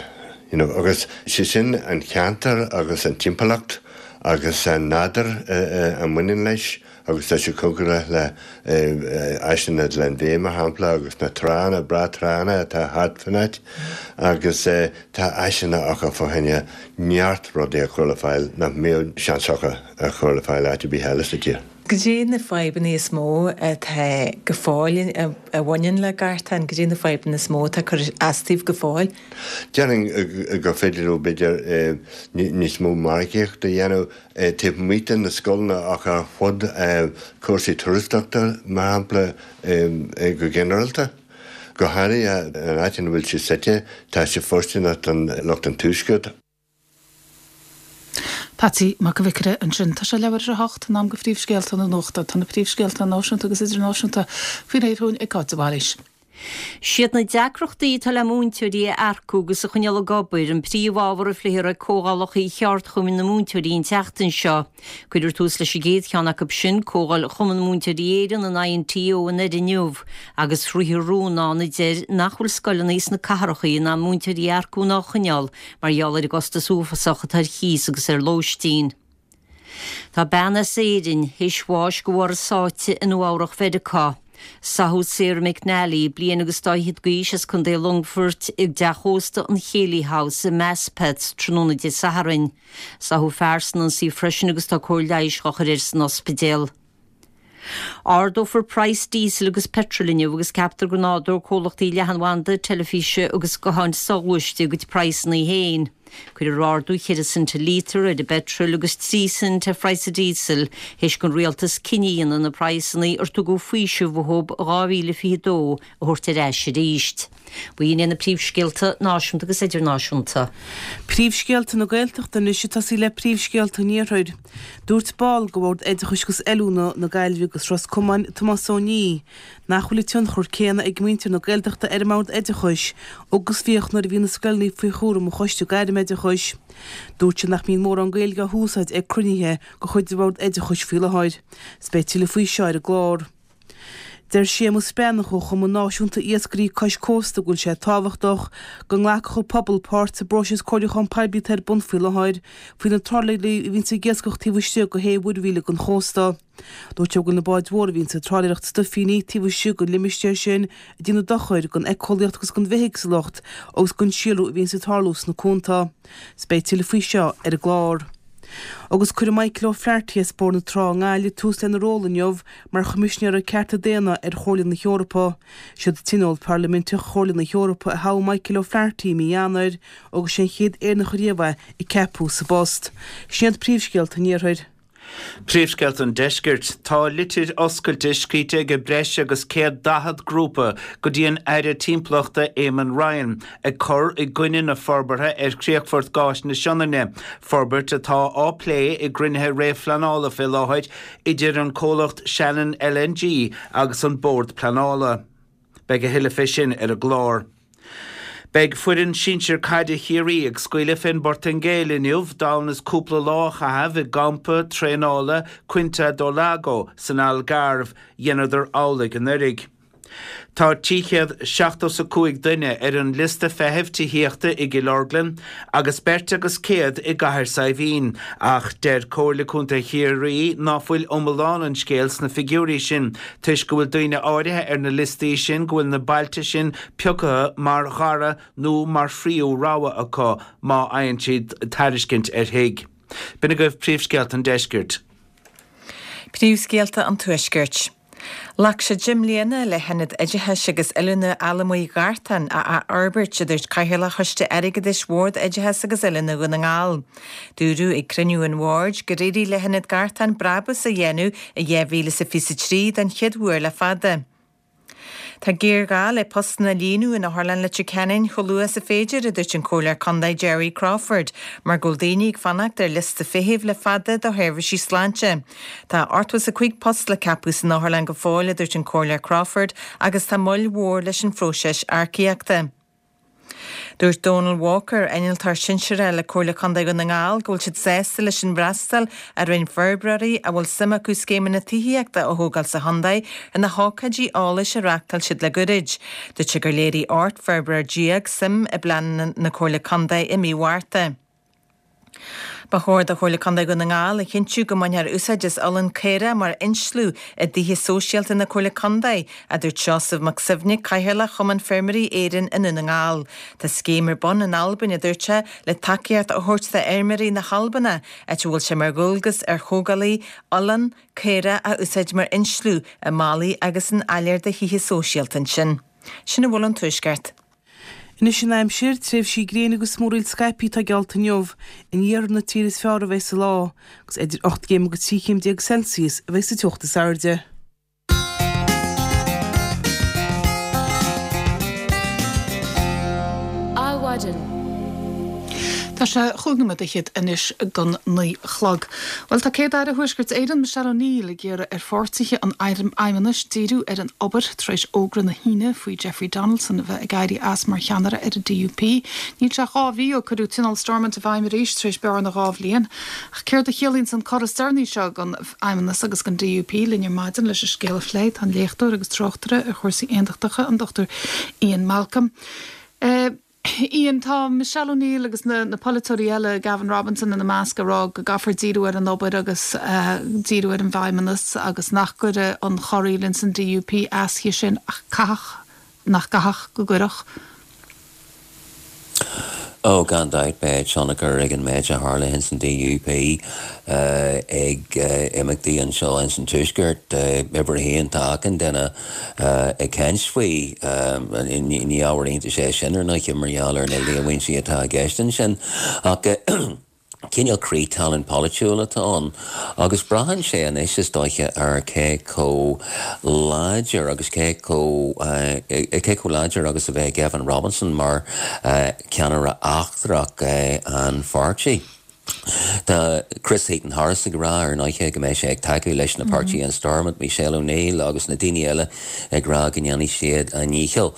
You know, agus sé sin an ceantar agus an timpeallacht agus an nádúr a mbaineann leis agus tá sé cóngarach le áiseanna Glenveagh mar shampla agus na tránna breá tránna atá thart fan áit agus tá áiseanna acu fá choinne neart rudaí a chur le fáil nach mbeadh seans acu a chur le fáil áit ar bith eile sa tír. Goidé na fadhbanna is mó atá go fóill a bhaineann le Gartán, goidé na fadhbanna is mó atá ag cur as daoibh go fóill? Déarfainn gur féidir leo b'fhéidir níos mó margaíocht a dhéanamh taobh amuigh de na scoileanna ach ar fud cúrsaí turasóireachta mar shampla go ginearálta. Go háirithe an áit ina bhfuil sé suite, tá sé fóirsteanach don lucht an tuaiscirt. Patsy Mac an Bhiocaire ansin. Tá sé leathuair tar éis a hocht, in am do phríomhscéalta na nuachta. Tá na príomhscéalta náisiúnta agus idirnáisiúnta faoi réir chugainn ag Cáit de Bhailís. Siad na deacrachtaí atá le múinteoirí a earcú agus a choinneáil ag obair an príomhábhar a phléifear ag comhdhálacha cheardchumainn na múinteoirí an tseachtain seo. Cuirfear tús leis an gcéad cheann acu sin, Comhdháil Chumann Múinteoirí Éireann, an INTO, i nDoire inniu, agus ritheadh rún ann a deir nach bhfuil scoileanna sna cathracha in ann múinteoirí a earcú ná a choinneáil mar gheall ar an gcostas uafásach atá ar chíos agus ar lóistín. Tá bean as Éirinn théis bháis de bharr a sáite i Nua-Eabhrac Mheiriceá. Sáthadh Sarah McNally, bliain agus dá fhichead d'aois as Contae Longfoirt, i dteach ósta an Chéilí House i Maspeth tráthnóna Dé Sathairn. Sáthadh fear san ionsaí freisin agus tá cóir leighis á chur air san ospidéal. Ardófar praghas díosail agus peitril inniu agus ceaptar go n-ardóidh comhlachtaí leathanbhanda, teilifíse agus gutháin soghluaiste a gcuid praghsanna féin. Cuirfear ardú cheithre cent an lítear ar an bpeitreal agus trí cent ar phraghas an díosail théis don rialtas cinneadh a dhéanamh na praghsanna ar tugadh faoiseamh uathu i dhá mhíle fiche a dó a thabhairt ar ais arís. B'in iad na príomhscéalta náisiúnta agus idirnáisiúnta. Príomhscéalta na Gaeltachta anois ag tosaí le príomhscéalta an Iarthair. Dúirt ball de Bhord Oideachais agus Oiliúna na Gaillimhe agus Ros Comáin, Tomás Ó Niaidh, nach bhfuil an tionchar céanna ag muintir na Gaeltachta ar an mBord Oideachais agus bhíodh nuair a bhí na scoileanna faoi chúram an Choiste Gairmoideachais. Dúirt sé nach mbíonn mórán Gaeilge á húsáid ag cruinnithe de chuid an Bhoird Oideachais faoi láthair. 'S beidh tuilleadh faoi seo ar an gclár. Deir Séamus Breathnach ó Chumann Náisiúnta Iascairí Cois Cósta go bhfuil sé tábhachtach go nglacfadh an pobal páirt sa bpróiseas comhairliúcháin poiblí atá ar bun faoi láthair faoi na trálaeirí a bhíonns ag iascach taobh istigh de shé mhuirmhíle den chósta. Dúirt sé go bhfuil na báid mhóra a bhíonns ag trálaeireacht stuifíní taobh istigh den limistéar sin ag déanamh dochair don éiceolaíocht agus don bhithéagsúlacht agus don síolrú a bhíonns ag tarlú sna cuanta. 'S beidh tuilleadh faoi seo ar an gclár. Agus cuirfidh Michael O'Flaherty as Bóthar na Trá i nGaillimh tús lena ról inniu mar Choimisinéir Cearta Daonna ar Chomhairle na hEorpa. Siad Tionól Parlaiminteach Chomhairle na hEorpa a thogh Michael O'Flaherty i mí Eanáir agus sé an chéad Éireannach ariamh é a ceapadh sa bpost. Sin iad príomhscéalta an Iarthair. Príomhscéalta an Deiscirt. Tá litir oscailte scríte ag breis agus céad daichead grúpa go dtí an Aire Timpeallachta Eamon Ryan ag cur i gcoinne na forbartha ar chríochfort gáis na Sionainne, forbairt atá á plé i gcruinnithe réamhphleanála fé láthair idir an comhlacht Shannon L N G agus an Bord Pleanála. Beidh a thuilleadh fé sin ar an gclár. Beidh foireann sinsir caide Chiarraí ag scaoileadh fén bPortaingéil inniu d'fhonn is cúpla lá a chaitheamh i gcampa traenála Quinta do Lago san Algarve, dheineadar amhlaidh anuraidh. Tá trí chéad seachtó 's a cúig duine ar an liosta feithimh tithíochta i gCill Orglan agus beirt agus céad i gCathair Saidhbhín, ach deir Comhairle Contae Chiarraí ná fuil iomlán an scéil sna figiúirí sin toisc go bhfuil daoine áirithe ar na liostaí sin go bhfuil na bailte sin pioctha mar dhara nó mar thríú rogha acu má fhaigheann siad tairiscint ar thigh. B'in agaibh príomhscéalta an deiscirt. Príomhscéalta an Tuaiscirt. Ghlac sé deich mbliana le hIonad Oideachais agus Oiliúna Allamuigh Ghartán a athfhorbairt, a dúirt Cathaoirleach Choiste Airgeadais Bhord Oideachais agus Oiliúna Dhún na nGall. Dúradh ag cruinniú an Bhoird gur éirigh le hIonad Gartán brabús a dhéanamh i dhá mhíle is a fiche a trí den chéad uair le fada. Tá géarghá le postanna a líonadh in Otharlann Leitir Ceanainn chomh luath is a féidir, a dúirt an Comhairleoir Contae Jerry Crawford, mar go bhfuil daoine ag fanacht ar liosta feithimh le fada do sheirbhísí sláinte. Tá ochtó is a cúig post le ceapadh san otharlann go fóill, a dúirt an Comhairleoir Crawford, agus tá moill mhór leis an phróiseas earcaíochta. Dúirt Donal Walker, innealtóir sinsearach le Comhairle Contae Dhún na nGall, go bhfuil siad sásta leis an bhfreastal a rinne forbróirí a bhfuil suim acu scéimeanna tithíochta a thógáil sa chontae ar na hócáidí eolais a reáchtáil siad le gairid. Dúirt sé gur léirigh ocht bhforbróir déag suim i bpleananna na Comhairle Contae i mí Mhárta. Ba chóir do Chomhairle Contae Dhún na nGall a chinntiú go mbainfear úsáid as olann caorach mar insliú i dtithe sóisialta na Comhairle Contae, a dúirt Seosamh Mac Suibhne, Cathaoirleach Chumann Feirmeoirí Éireann i Ndún na nGall. Tá scéim ar bun in Albain, a dúirt sé, le tacaíocht a thabhairt d'fheirmeoirí na hAlbana, áit a bhfuil sé mar dhualgas ar thógálaithe olann caorach a úsáid mar insliú i mballaí agus in áiléir de thithe sóisialta ansin. Sin a bhfuil ón Tuaisceart. Anois an aimsir, tréimhsí gréine agus múraíl scaipthe atá geallta inniu. In iarthar na tíre is fearr a bheas an lá, agus idir ocht gcéim agus trí chéim déag Celsius a bheas an teocht is airde. Adhmhaidin. Tá sé chúig nóiméad fhichead anois don naoi a chlog. Bhuel, tá Céad-Aire Thuaisceart Éireann, Michelle O'Neill, ag iarraidh ar pháirtithe an Fheidhmeannais díriú ar an obair tar éis fhógra na hAoine faoi Jeffrey Donaldson a bheith ag éirí as mar cheannaire ar an DUP. Níl sé ach dhá mhí ó cuireadh Tionól Stormont i bhfeidhm arís tar éis bearna dhá bhliain. Ach céard a chiallaíonn an cor is deireanaí seo don Fheidhmeannas agus don DUP? Linn ar maidin leis an scéal a phlé tá an léachtóir agus tráchtaire ar chúrsaí aontachtacha, an Dr Ian Malcolm. Ian, tá Michelle O'Neill agus na na polaiteoirí eile, Gavin Robinson ina measc, ag rá go gcaithfear díriú ar an obair agus díriú ar an bhFeidhmeannas agus nach gcuirfidh an chorraíl ins an DUP as sin ach caithfidh, nach gcaithfeadh go gcuirfeadh. Ó, gan dabht, beidh tionchar ag an méid a tharla ins an DUP ag imeachtaí anseo ins an Tuaisceart. Uimhir a haon, tá achan duine ag caint faoi. Ní ábhar iontais é sin, ar ndóigh, mar gheall ar na líomhaintí atá i gceist ansin. Ach cineál crith talún polaitiúil atá ann agus braitheann sé anois, is dóiche, ar cé chomh láidir agus cé chomh cé chomh láidir agus a bheidh Gavin Robinson mar cheannaire eachtrach an pháirtí. Tá Chris Heaton-Harris ag rá, ar ndóigh, go mbeidh sé ag tacú leis na páirtithe in Stormont, Michelle O'Neill agus na daoine eile ag rá go ndéanfaidh siad a ndícheall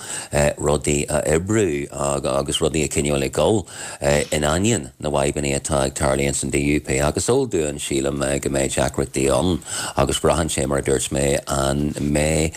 rudaí a oibriú agus rudaí a choinneáil ag dul in ainneoin na bhfadhbanna atá ag tarlú ins an DUP. Ach is eol dúinn, sílim, go mbeidh deacrachtaí ann agus braitheann sé, mar a dúirt mé, an mbeidh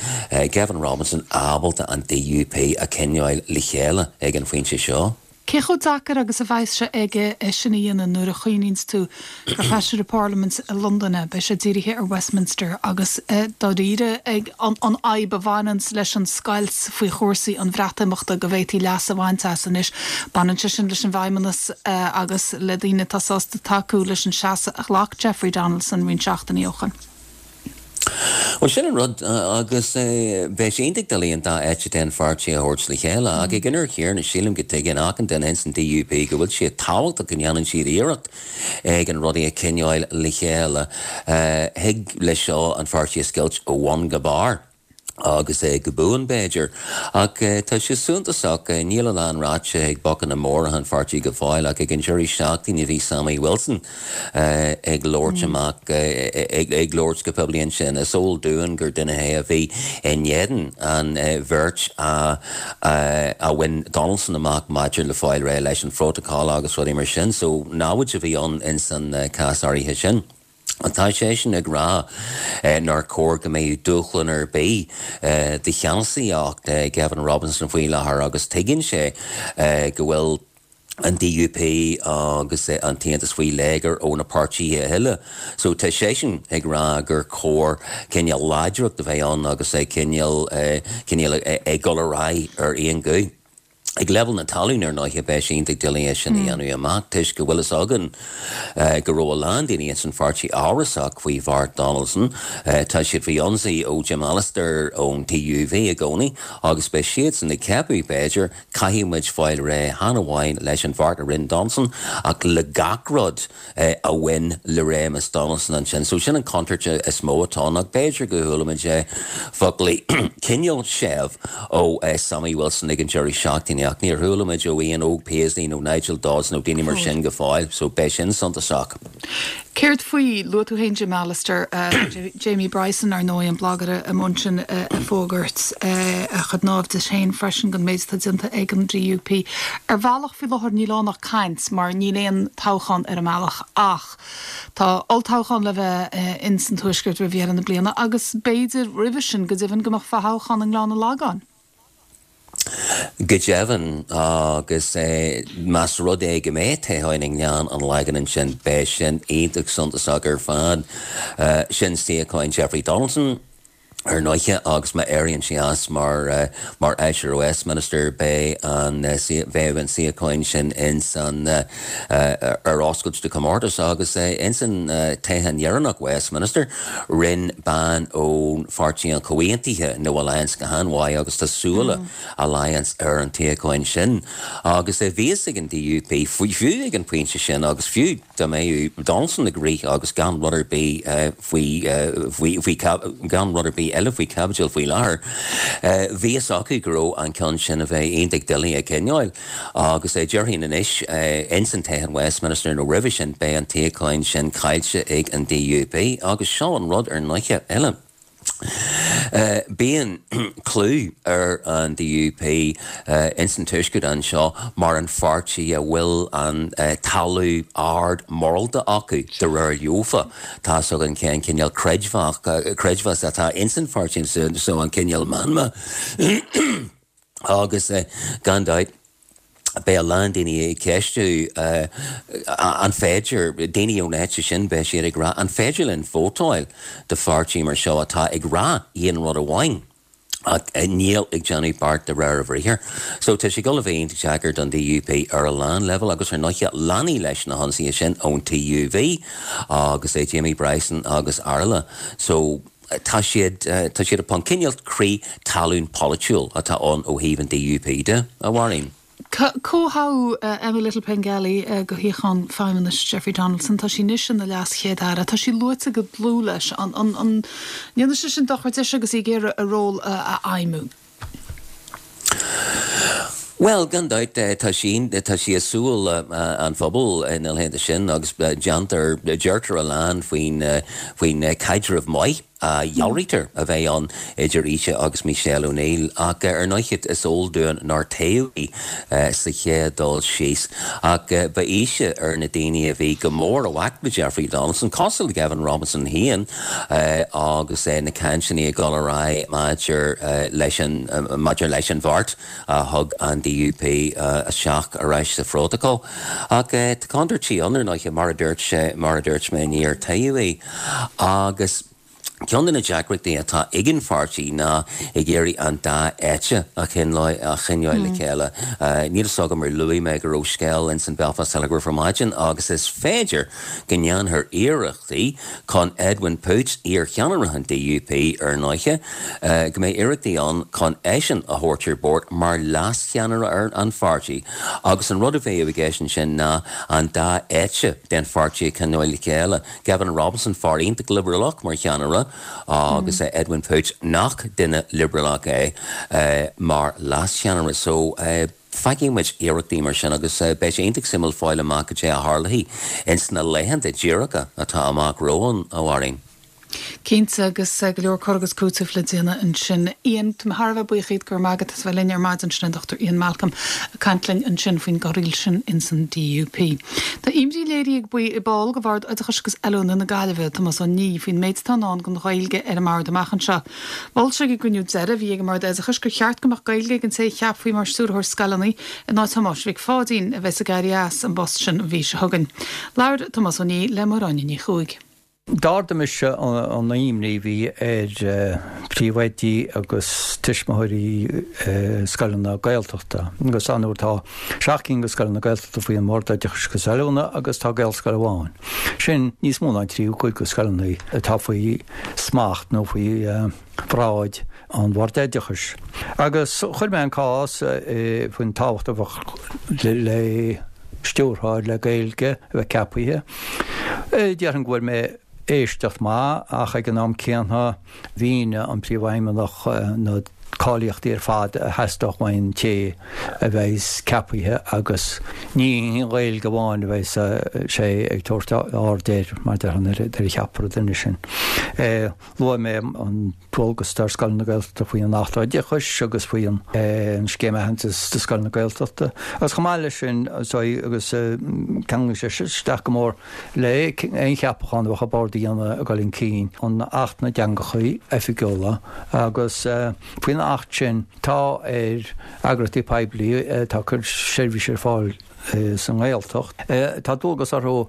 Gavin Robinson ábalta an DUP a choinneáil le chéile ag an phointe seo. Cé chomh deacair agus a bheas sé aige é sin a dhéanamh nuair a chuimhníonns tú gur feisire parlaiminte i Londain é, beidh sé dírithe ar Westminster agus dáiríre ag an fhadhb a bhaineanns leis an scoilt faoi chúrsaí an Bhreatimeachta go bhféadfaí leas a bhaint as anois. Baineann sé sin leis an bhFeidhmeannas agus le daoine atá sásta tacú leis an seasamh a ghlac Jeffrey Donaldson roinnt seachtainí ó shin. Bhuel, sin an rud, agus bheadh sé iontach doiligh an dá eite den pháirtí a thabhairt le chéile, ach ag an uair chéanna, sílim go dtuigeann achan duine ins an DUP go bhfuil sé tábhachtach go ndéanann siad iarracht ag an rudaí a choinneáil le chéile. Thig leis seo an pháirtí a scoilt ó bhun go barr. agus é go buan, b'fhéidir. Ach tá sé suntasach, níl a lán ráite ag bocanna móra an pháirtí go fóill, ach ag an deireadh seachtaine bhí Sammy Wilson ag labhairt amach, ag labhairt go poiblí ansin. Is eol dúinn gur duine é a bhí in éadan an bhirt a bhain Donaldson amach maidir le fáil réidh leis an phrótacal agus rudaí mar sin, so namhaid a bhí ann ins an cás áirithe sin. Tá seisean ag rá nár chóir go mbeadh dúshlán ar bith do cheannasaíocht Gavin Robinson faoi láthair agus tuigeann sé go bhfuil an DUP agus an tAontas faoi léigear ó na páirtithe eile. So tá seisean ag rá gur chóir cineál láidreacht a bheith ann agus cineál cineál ag dul ar aghaidh ar aon ghuth. Ag leibhéal na talún ar ndóighe beidh sé iontach doiligh é sin a dhéanamh amach toisc go bhfuil fhios againn go raibh a lán daoine ins an pháirtí amhrasach faoi bheart Donaldson. Tá siad faoi ionsaí ó Jim Allister ón TUV i gcónaí agus beidh siadsan ag ceapadh, b'fhéidir, caithfidh muid fáil réidh chan amháin leis an bheart a rinne Donaldson ach le gach rud a bhain le réimeas Donaldson ansin. So sin an chontúirt is mó atá ann ach b'fhéidir go chuala muid foclaí cineál séimh ó Sammy Wilson ag an deireadh seachtaine ach níor chuala muid ó Ian Óg Paisley nó Nigel Dodds nó daoine mar sin go fóill, so beidh sin suntasach. Céard faoi, luaigh tú féin Jim Allister, Jamie Bryson ar ndóigh, an blagaire i Munchen ag fógairt a chuid naimhdis féin freisin don méid atá déanta ag an DUP. Ar bhealach faoi láthair níl ann ach caint mar níl aon toghchán ar an mbealach ach tá olltoghchán le bheith ins an Tuaisceart roimh dheireadh na bliana agus b'fhéidir roimhe sin go deimhin go mbeadh fothoghchán i nGleann an Lagáin. Go deimhin, agus más rud é go mbeidh toghchán i nGleann an Lagáin ansin, beidh sin iontach suntasach ar fad. Sin suíochán Jeffrey Donaldson, ar ndóighe, agus má éiríonn sé as mar mar Fheisire Westminster, beidh an bheidh an suíochán sin ins an ar oscailt do chomórtas agus ins an toghchán dheireanach Westminster, rinne bean ón Pháirtí an Chomhaontaithe nó Alliance go han-mhaith agus tá súile Alliance ar an tsuíochán sin agus bhí fhios ag an DUP fiú ag an bpointe sin agus fiú dá mbeadh Donaldson ag rith agus gan rud ar bith faoi faoi gan rud ar bith eile faoi chaibidil faoi láthair, bhí fhios acu go raibh an ceann sin a bheith iontach doiligh a choinneáil agus déarfainn anois ins an toghchán Westminster nó roimhe sin beidh an tsuíochán sin caillte ag an DUP agus seo an rud ar ndóighe eile. Bíonn clú ar an DUP ins an Tuaisceart anseo mar an pháirtí a bhfuil an talamh ard morálta acu, de réir leofa. Tá's againn cén cineál creidmheas atá ins an pháirtí so an cineál meanma agus gan dabht beidh a lán daoine ag ceistiú an féidir, daoine ón eite sin, beidh siad ag rá, an féidir linn vótáil do pháirtí mar seo atá ag rá aon rud amháin ach níl ag déanamh beart de réir a bhriathair. So tá sé ag dul a bheith iontach deacair don DUP ar a lán leibhéal agus ar ndóighe leanfaidh leis na hionsaithe sin ón TUV agus Jamie Bryson agus araile. So tá siad, tá siad ag an cineál crith talún polaitiúil atá ann ó thaobh an DUP de, a Mháirín. Comhthoghadh Emma Little-Pengelly go shuíochán Feidhmeannais Jeffrey Donaldson. Tá sí anois ina leas-Chéad-Aire. Tá sí luaite go dlúth leis. An ndéanfaidh sé sin dochar dise agus í ag iarraidh a ról a fheidhmiú? Bhuel, gan dabht, tá sí, tá sí i súil an phobail ina theannta sin agus déantar, deirtear a lán faoin, faoin caidreamh maith a dhealraítear a bheith ann idir ise agus Michelle O'Neill ach ar ndóighe is eol dúinn nár toghadh í sa chéad dul síos ach ba ise ar na daoine a bhí go mór i bhfách le Jeffrey Donaldson, cosúil le Gavin Robinson féin agus na cainteanna ag dul ar aghaidh maidir leis an maidir leis an bheart a thug an DUP isteach ar ais sa phrótacal. Ach tá contúirtí ann ar ndóighe mar a dúirt mar a dúirt mé níor toghadh í agus Ceann de na deacrachtaí atá ag an pháirtí ná ag iarraidh an dá eite a choinneáil le chéile. Níl fhios agam ar luaigh mé go raibh scéal ins an Belfast Telegraph ar maidin agus is féidir go ndéanfar iarrachtaí chun Edwin Poots, iar-cheannaire an DUP ar ndóighe, go mbeidh iarrachtaí ann chun eisean a thabhairt ar bord mar leas-cheannaire ar an pháirtí agus an rud a bheadh i gceist ansin ná an dá eite den pháirtí a choinneáil le chéile. Gavin Robinson, fear iontach liobrálach mar cheannaire, agus Edwin Poots, nach duine liobrálach é, mar leascheannaire. So, feicfidh muid iarrachtaí mar sin agus beidh sé iontach suimiúil fáil amach cad é a tharlóidh ins na laethanta díreacha atá amach romhainn, a Mháirín. Cinnte, agus go leor cur agus cúiteamh le déanamh ansin. Ian, tá mé thar a bheith buíoch díot, go raibh maith agat as bheith linn ar maidin. Sin an Dochtúir Ian Malcolm ag caint linn ansin faoin gcorraíl sin ins an DUP. Tá imní léirithe ag ball de Bhord Oideachais agus Oiliúna na Gaillimhe, Tomás Ó Niaidh, faoin méid atá i ndán don Ghaeilge ar an mbord amach anseo. Mhol sé ag an gcruinniú deiridh a bhí ag an mBord Oideachais gur cheart go mbeadh Gaeilge ag an té a cheapfaí mar Stiúrthóir Scoileanna in áit Thomáis Mhic Pháidín, a bheas ag éirí as an bpost sin an mhí seo chugainn. Labhair Tomás Ó Niaidh le Máire Áine Ní Chuaig. D'ardaigh mise an imní a bhí ar phríomhoidí agus tuismitheoirí scoileanna Gaeltachta agus ar ndóigh tá seacht gcinn de scoileanna Gaeltachta faoi an mBord Oideachais agus Oiliúna agus tá Gaelscoil amháin. Sin níos mó ná an tríú cuid de scoileanna atá faoi smacht nó faoi bhráid an Bhoird Oideachais. Agus chuir mé an cás faoin tábhacht a bheadh le stiúrthóir le Gaeilge a bheith ceapaithe. Déarfainn go bhfuair mé éisteacht maith ach ag an am céanna mhínigh an Príomhfheidhmeannach na cáilíochtaí ar fad a theastódh ón té a bheas ceapaithe agus ní an Ghaeilge amháin a bheas sé ag tabhairt aird air mar déarfainn nuair a cheapfar an duine sin. Luaigh mé an dualgas atá ar scoileanna Gaeltachta faoi an Acht Oideachais agus faoi an Scéim Aitheantais do Scoileanna Gaeltachta agus chomh maith leis sin agus ceanglaíonn sé isteach go mór le aon cheapachán a bheadh an Bord a dhéanamh ag dul chun cinn, an Acht na dTeangacha Oifigiúla agus faoin Acht sin tá ar eagraíochtaí poiblí atá ag cur seirbhís ar fáil sa nGaeltacht, tá dualgas orthu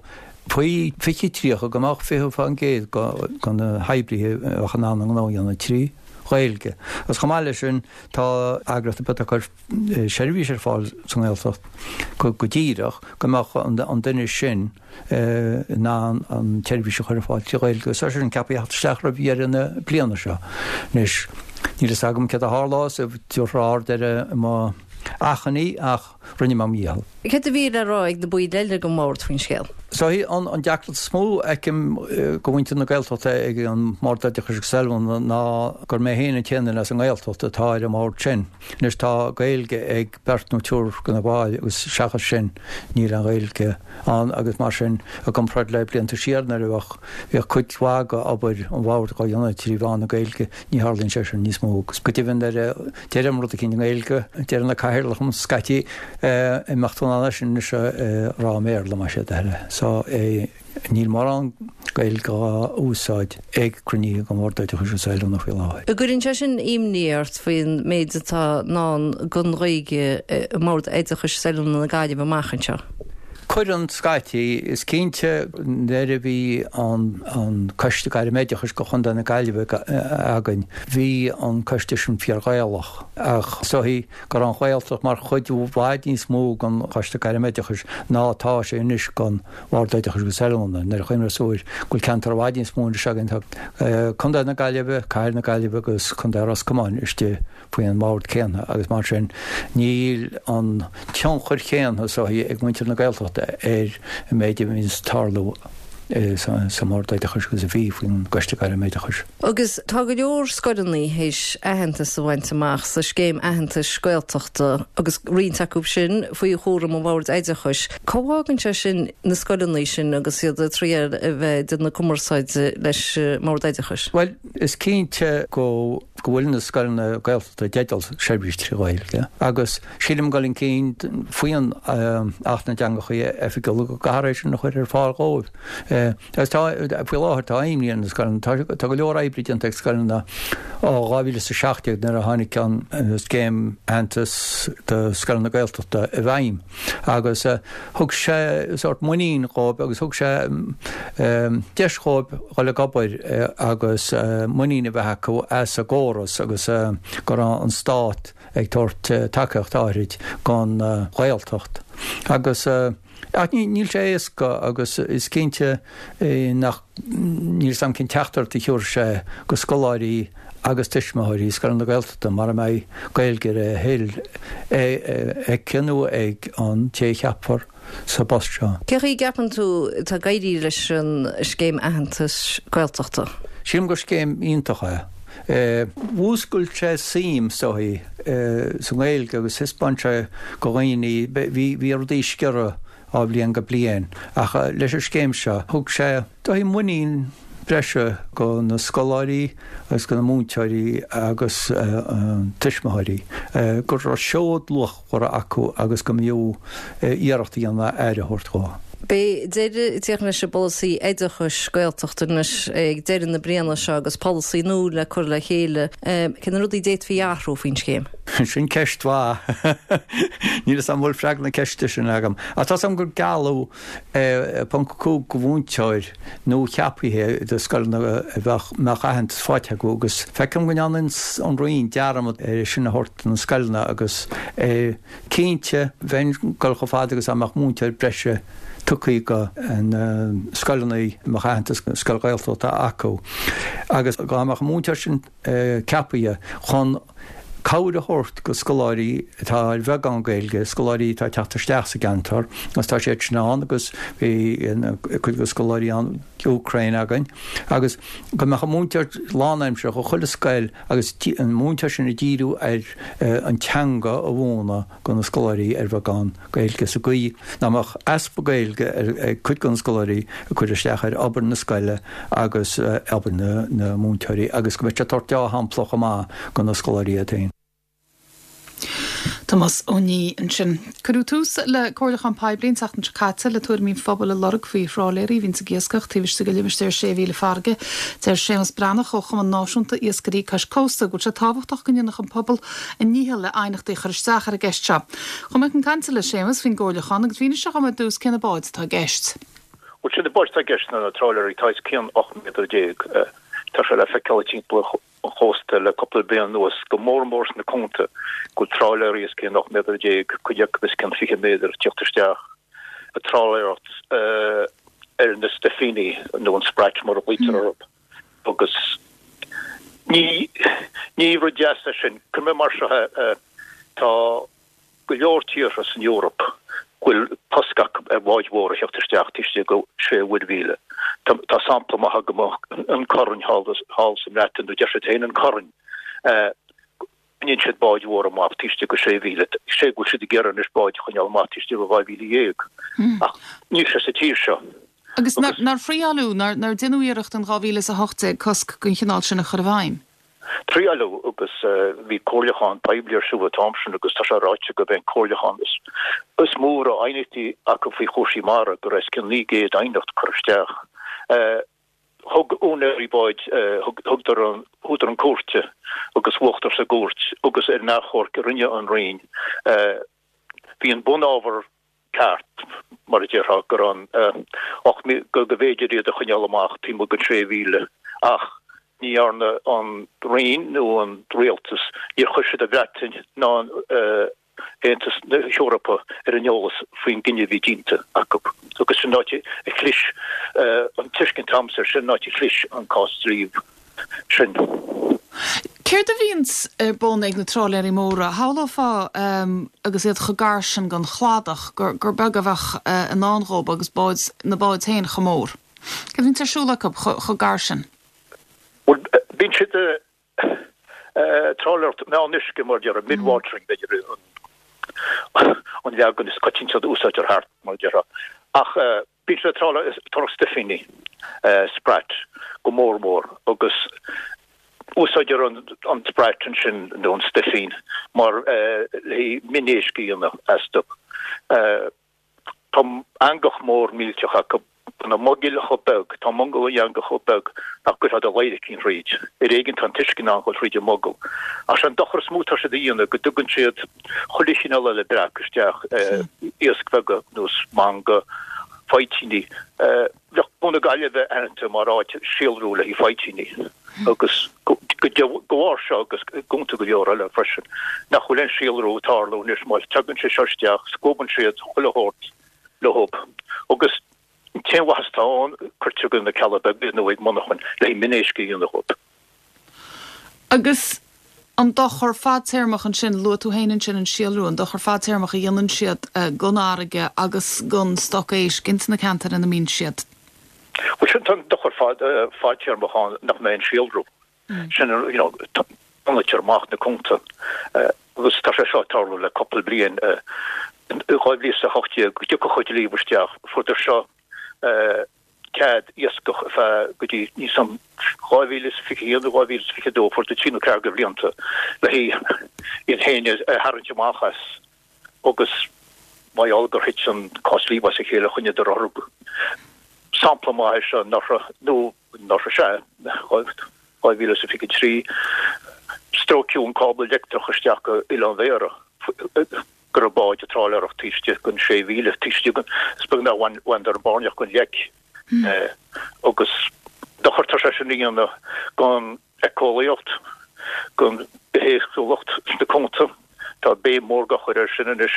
faoi fiche tríocha go mbeadh fiche faoin gcéad de na hoibrithe a bheadh in ann a ngnó a dhéanamh trí Ghaeilge. Agus chomh maith leis sin tá eagraíocht ar bith atá ag cur seirbhís ar fáil sa nGaeltacht go díreach go mbeadh an duine sin in ann an tseirbhís a chur ar fáil trí Ghaeilge agus tá sé sin ceaptha a theacht isteach roimh dheireadh na bliana seo. Anois, níl fhios agam céard a tharlós, an dtabharfar aird ar mo achainí ach rinne mé mo dhícheall. Céard a bhí le rá ag na baill eile den bhord faoin scéal? So an deacracht is mó a fheicim do mhuintir na Gaeltachta ag an mBord Oideachais agus Oiliúna ná gur mé féin an t-aon duine as an nGaeltacht atá ar an mbord sin. Anois tá Gaeilge ag beirt nó triúr de na baill agus seachas sin níl aon Ghaeilge ann agus mar sin i gcomparáid le blianta siar nuair a bheadh bhíodh cuid mhaith d'obair an bhoird á dhéanamh trí mheán na Gaeilge ní tharlaíonn sé sin níos mó agus go deimhin nuair a deirim rud eicínt i nGaeilge deireann an cathaoirleach liom scaití an mbeadh tú in ann é sin anois a rá i mBéarla más é do thoil é. So níl mórán Gaeilge á úsáid ag cruinnithe den Bhord Oideachais agus Oiliúna faoi láthair. An gcuireann sé sin imní ort faoin méid atá i ndán don Ghaeilge i mBord Oideachais is Oiliúna na Gaillimhe amach anseo? Cuireann scaití. Is cinnte nuair a bhí an Coiste Gairmoideachais do Chontae na Gaillimhe againn, bhí an coiste sin fíor-Ghaelach. Ach is dóichí go raibh an Ghaeltacht mar chuid i bhfad níos mó den Choiste Gairmoideachais ná atá sé anois den Bhord Oideachais agus Oiliúna. Nuair a chuimhneos tú go bhfuil ceantar i bhfad níos mó anois againn, tá Contae na Gaillimhe, Cathair na Gaillimhe agus Contae Ros Comáin istigh faoi an mbord céanna agus mar sin níl an tionchar chéanna is dóichí ag muintir na Gaeltachta ar an méid a bhíonns ag tarlú sa mBord Oideachais agus a bhí faoin gCoiste Gairmoideachais. Agus tá go leor scoileanna théis aitheantas a bhaint amach sa scéim aitheantais Gaeltachta agus roinnt acu sin faoi chúram an Bhoird Oideachais. Cá bhfágann sé sin na scoileanna sin agus iad ag triail a bheith ag déanamh cumarsáide leis an mBord Oideachais? Bhuel, is cinnte go go bhfuil na scoileanna Gaeltachta i dteideal seirbhís trí Ghaeilge agus sílim ag dul chun cinn faoin Acht na dTeangacha Oifigiúla go gcaithfear é sin a chur ar fáil dhóibh. Agus tá, faoi láthair tá imní ar na scoileanna, tá tá go leor oibre déanta ag scoileanna ó dhá mhíle is a seacht déag nuair a tháinig an scéim aitheantas do scoileanna Gaeltachta i bhfeidhm agus thug sé sórt muinín dhóibh agus thug sé deis dhóibh dhul ag obair agus muinín a bheith acu as an gcóras agus go raibh an stát ag tabhairt tacaíocht áirid don Ghaeltacht. Agus ach níl sé éasca agus is cinnte nach, níl 'fhios a'm cén teachtaireacht a thiúrfaidh sé go scoláirí agus tuismitheoirí scoileanna Gaeltachta mara mbeidh Gaeilge ar a thoil aici nó ag an té a cheapfar sa bpost seo. Cén chaoi a gceapann tú atá ag éirí leis an scéim aitheantais Gaeltachta? Sílim gur scéim iontach é. Mhúscail sé suim, is dóichí, sa nGaeilge agus thaispeáin sé go dhaoine, bhí rudaí sciorradh ó bhliain go bliain ach leis an scéim seo thug sé, dóichí, muinín breise go na scoláirí agus go na múinteoirí agus tuismitheoirí go raibh seod luachmhar acu agus go mb'fhiú iarracht a dhéanamh aire a thabhairt dhó. Beidh deireadh ag teacht leis an bpolasaí oideachais Gaeltachta anois ag deireadh na bliana seo agus polasaí nua le cur le chéile. Cé na rudaí a d'fhéadfaí a athrú faoin scéim? Sin ceist mhaith. Níl 'fhios a'm an bhfuil freagra na ceiste sin agam. Ach tá's a'm gur gealladh ponc cúig go mhúinteoir nua-cheapaithe do scoileanna a bheadh mbeadh aitheantas faighte acu agus feicim go ndearna an Roinn dearmad ar sin a thabhairt do na scoileanna agus cinnte bheinn ag dul chomh fada agus dá mbeadh múinteoir breise tugtha go na scoileanna a mbeadh aitheantas scoil Ghaeltachta acu agus dá mbeadh an múinteoir sin ceapaithe chun cabhair a thabhairt go scoláirí atá ar bheagán Gaeilge, scoláirí atá ag teacht isteach sa gceantar agus tá siad sin ann agus bhí cuid de scoláirí ón Úcráin againn agus go mbeadh an múinteoir lánaimseartha do chuile scoil agus an múinteoir sin ag díriú ar an teanga a mhúineadh go na scoláirí ar bheagán Gaeilge sa gcaoi nach mbeadh easpa Gaeilge ag cuid de na scoláirí ag cur isteach ar obair na scoile agus obair na múinteoirí agus go mbeadh siad ag tabhairt dea-shampla chomh maith go na scoláirí iad féin. Tomás Ó Nídh ansin. Cuireadh tús le comhairliúchán poiblí an tseachtain seo caite le tuairimí an phobail a lorg faoi thrálaeirí a bhíonns ag iascach taobh istigh de limistéar sé mhíle farraige. Deir Séamus Breathnach ó Chumann Náisiúnta Iascairí Cois Cósta go bhfuil sé tábhachtach go ndéanfadh an pobal a ndícheall le aighneachtaí a chur isteach ar an gceist seo. Chuaigh mé chun cainte le Séamus faoin gcomhairliúchán agus mhínigh sé dhom ar dtús cé na báid atá i gceist. Bhuel, sin na báid atá i gceist ná na trálaeirí atá os cionn ocht méadar déag. Tá sé le feiceáil timpeall an chósta le cúpla bliain anuas, go mór mór sna cuanta, go bhfuil trálaeirí os cionn ocht méadar déag, cuid acu os cionn fiche méadar, ag tíocht isteach ag trálaeireacht ar na stuifíní nó an sprat mar a ghlaoitear orthu. Agus ní ní rud deas é sin. Cuirfidh mé mar seo é, tá go leor tíortha san Eoraip go bhfuil cosc acu ar bháid mhóra a theacht isteach taobh istigh de sé mhuirmhíle. Tá sampla maith agam, an Corn thall sa mBreatain, nó deir siad féin an Corn, coinníonn siad báid mhóra amach taobh istigh de sé mhíle, sé go bhfuil siad ag iarraidh anois báid a choinneáil amach taobh istigh de dhá mhíle dhéag. Ach níl sé sa tír seo. Agus nár thriaileadh, nár deineadh iarracht in dhá mhíle is a hocht déag cosc den chineál sin a chur i bhfeidhm? Triaileadh agus bhí comhairliúchán poiblí ar siúl an t-am sin agus tá sé ráite gurb é an comhairliúchán is mó a raibh aighneachtaí acu faoi chúrsaí mara, go raibh os cionn naoi gcéad aighneacht curtha isteach. Thug úinéirí báid, thugadar chuadar chun cúirte agus bhuadar sa gcúirt agus ar an achomharc a rinne an Roinn, bhí an bunábhar ceart, mar a déarfá, gur an ocht go mb'fhéidir iad a choinneáil amach taobh amuigh den sé mhíle ach ní dhearna an Roinn nó an Rialtas, níor chuir siad an Bhreatain ná an Aontas na hEorpa ar an eolas faoin gcinneadh a bhí déanta acu agus sin an áit a chlis an tuiscint agamsa air, sin an áit a chlis an cás dlí sin. Céard a bhíonns ar bun ag na trálaeirí móra? Shamhlófá agus iad chomh gar sin don chladach gur gur beag a bheadh i ndán dhóibh agus báid, na báid féin chomh mór. Céard a bhíonns ar siúl acu chomh gar sin? Bhuel, bíonn siad ag trálaeireacht meán-uisce mar a déarfá, mid-watering b'fhéidir an leagan is coitianta a úsáidtear thart mar a déarfá. Ach Bíonn siad ag trálaeireacht stuifíní, sprat, go mór mór agus úsáidtear an sprat ansin nó an stuifín mar le haghaidh minéisc a dhéanamh astu. Tá eangach mór millteach acu, tá na mogaill chomh beag, tá mogall an eangach chomh beag nach gcuirfeá do ladhaircín thríd. Ar éigean tá an t-uisce in ann dhul thríd an mogall. Ach sé an dochar is mó atá siad a dhéanamh go dtugann siad chuile chineál eile breac isteach, iasc bheaga ar nós manga, faidhtíní. Bheadh Cuan na Gaillimhe aitheanta mar áit síolrú le haghaidh faidhtíní agus de bharr seo agus i gcuanta go leor eile freisin nach bhfuil aon síolrú ag tarlú anois má tagann sé seo isteach scuabann siad chuile shórt leo agus an t-aon mhaitheas atá ann cuirtear go na Cealla Beaga nó ag monarchain le haghaidh minéisc a dhéanamh dhóibh. Agus an dochar fadtéarmach ansin, luaigh tú féin ansin an síolrú, an dochar fadtéarmach a dhéanann siad don fharraige agus don stoc éisc ins na ceantair ina mbíonn siad. Bhuel sin, tá an dochar fadtéarmach ann nach mbeidh an síolrú. Sin, you know, tonnaitear amach na cuanta agus tá sé seo ag tarlú le cúpla bliain. In dhá mhíle is a hocht déag go dtiocfadh an dlí isteach, fuaireadar seo cead iascach ar feadh go dtí níl 'fhios a'm dhá mhíle is fiche haon nó dhá mhíle is fiche dó, fuaireadar trí nó ceathair de bhlianta le haghaidh iad féin a tharraingt amach as agus Mar gheall gur thit an cás-dlí as a chéile choinníodar orthu. Sampla maith é seo anuraidh, nó anuraidh sea, dhá mhíle is a fiche trí, stróiceadh an cábla leictreach isteach go Oileán Bhéarra, go raibh báid ag tráiléireacht taobh istigh den sé mhíle, taobh istigh den, is beag nár bhaineadar an bairneach den leic. Agus dochar atá sé sin a dhéanamh don éiceolaíocht, don bithéagsúlacht sna cuanta. Tá béim mhór á chur air sin anois.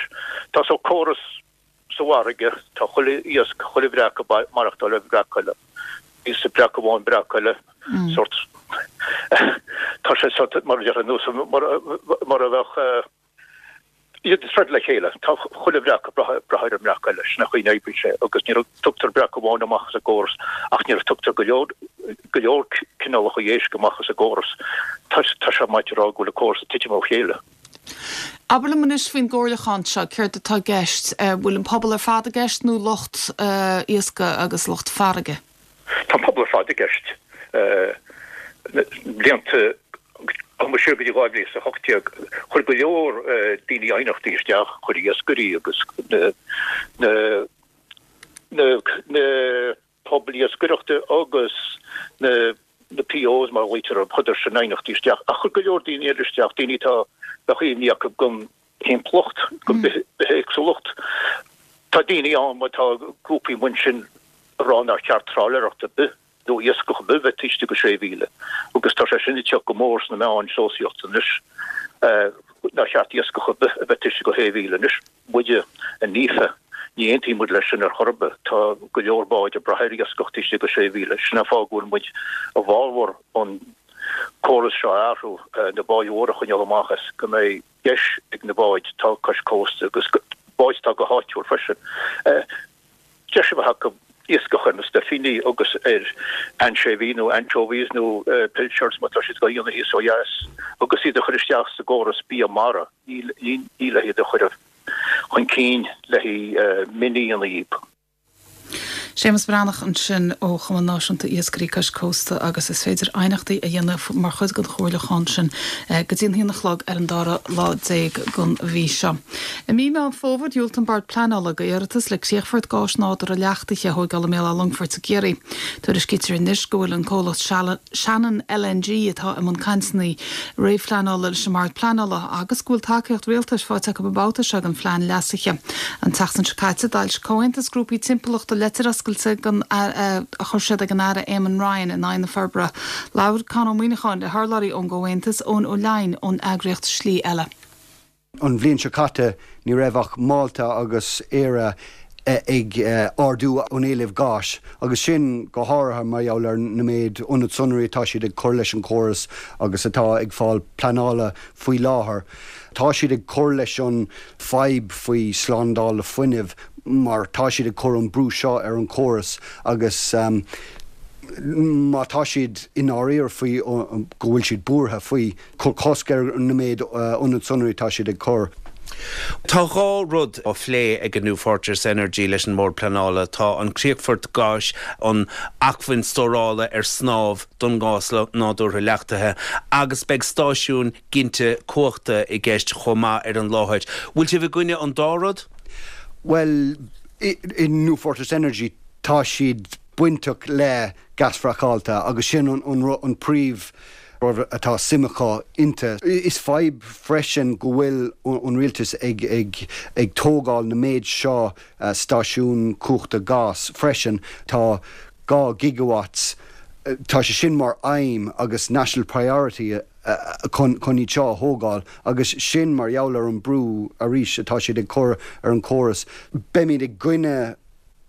Tá sórt córas sa bhfarraige, tá chuile iasc, chuile bhreac ag maireachtáil ar bhreac eile. Íosfaidh breac amháin breac eile, sórt, tá sé sórt mar a déarfá nós mar a bheadh iad ag troid le chéile. Tá chuile bhreac ag brath ar an mbreac eile, sin an chaoi a n-oibríonn sé agus nuair a tugtar breac amháin amach as an gcóras ach nuair a tugtar go leor go leor cineálacha éisc amach as an gcóras, tá sé maith a rá go bhfuil an córas ag titim ó chéile. Abair liom anois faoin gcomhairliúchán seo, céard atá i gceist? Bhfuil an pobal ar fad i gceist nó lucht iascaigh agus lucht farraige? Tá an pobal ar fad i gceist. Blianta ó siar go dtí dhá mhíle is a hocht déag, chuir go leor daoine aighneachtaí isteach, chuir iascairí agus na na na na pobail iascaireachta agus na na POs mar a ghlaoitear orthu, chuireadar sin aighneachtaí isteach. Ach chuir go leor daoine eile isteach, daoine atá, bheadh imní acu don timpeallacht, don bithéagsúlacht. Tá daoine ann, má tá grúpaí amuigh ansin a rá nár cheart tráiléireacht ar bith nó iascach ar bith bheith taobh istigh de sé mhíle agus tá sé sin ag teacht go mór sna meáin sóisialta anois, nár cheart iascach ar bith a bheith taobh istigh de shé mhíle anois. Muide i NIFA, ní aontaíonn muid leis sin ar chor ar bith. Tá go leor báid ag brath ar iascach taobh istigh de sé mhíle. Sin an fáth go bhfuil muid i bhfabhar an córas seo a athrú, na báid mhóra a choinneáil amach as, go mbeidh deis ag na báid atá cois cósta agus báid atá go háitiúil freisin, deis a bheith acu iascach ar na stuifíní agus ar ainseabhaigh nó anchovies nó pilchards má tá siad á dhéanamh thíos ó dheas agus iad a chur isteach sa gcóras bia mara, ní le hiad a chur chun cinn le haghaidh mion-éanlaith. Séamus Breathnach ansin ó Chumann Náisiúnta Iascairí Cois Cósta agus is féidir aighneachtaí a dhéanamh mar chuid den chomhairliúchán sin go dtí an haon a chlog ar an dara lá déag den mhí seo. I mí Meán Fómhair, dhiúltaigh an Bord Pleanála d'iarratas le críochfort gáis nádúrtha leachtaithe a thóigeáil i mBéal Átha Longfoirt i gCiarraí. Tuairiscítear anois go bhfuil an comhlacht Shannon L N G atá i mbun cainteanna réamhphleanála leis an mBord Pleanála agus go bhfuil tacaíocht rialtais faighte acu an babhta seo don phlean leasaithe. An tseachtain seo caite, d'fhoilsigh Comhaontas Grúpaí Timpeallachta leitir oscailte a chuir siad ag an Aire Eamon Ryan in aghaidh na forbartha. Labhair Conn Ó Muíneacháin le hurlabhraí ón gComhaontas, Eoin Ó Leidhin ón eagraíocht Slí Eile. An bhliain seo caite ní raibh ach Málta agus Éire ag ardú an éilimh gáis, agus sin go háirithe mar gheall ar na méid ionad sonraí atá siad ag cur leis an chóras agus atá ag fáil pleanála faoi láthair. Tá siad ag cur leis an fadhb faoi slándáil fuinnimh mar tá siad ag cur an brú seo ar an chóras agus má tá siad i ndáiríre faoi go bhfuil siad buartha faoi, cur cosc ar na méid ionad sonraí atá siad ag cur. Tá dhá rud á phlé ag an New Fortress Energy leis an mBord Pleanála. Tá an críochfort gáis, an acmhainn stórála ar snámh don ghás nádúrtha leachtaithe agus beidh stáisiún ginte cumhachta i gceist chomh maith ar an láthair. Bhfuil sibh i gcoinne an dá rud? Bhuel, i New Fortress Energy tá siad bainteach le gás fraiceáilte agus sin an, an, an príomh rud atá suim acu inti. Is fadhb freisin go bhfuil an rialtas ag, ag, ag tógáil na méid seo stáisiún cumhachta gás freisin. Tá dhá gigawatts, tá sé sin mar aidhm agus national priority chun chun iad seo a thógáil agus sin mar gheall ar an brú arís atá siad ag cur ar an chóras. Beimid i gcoinne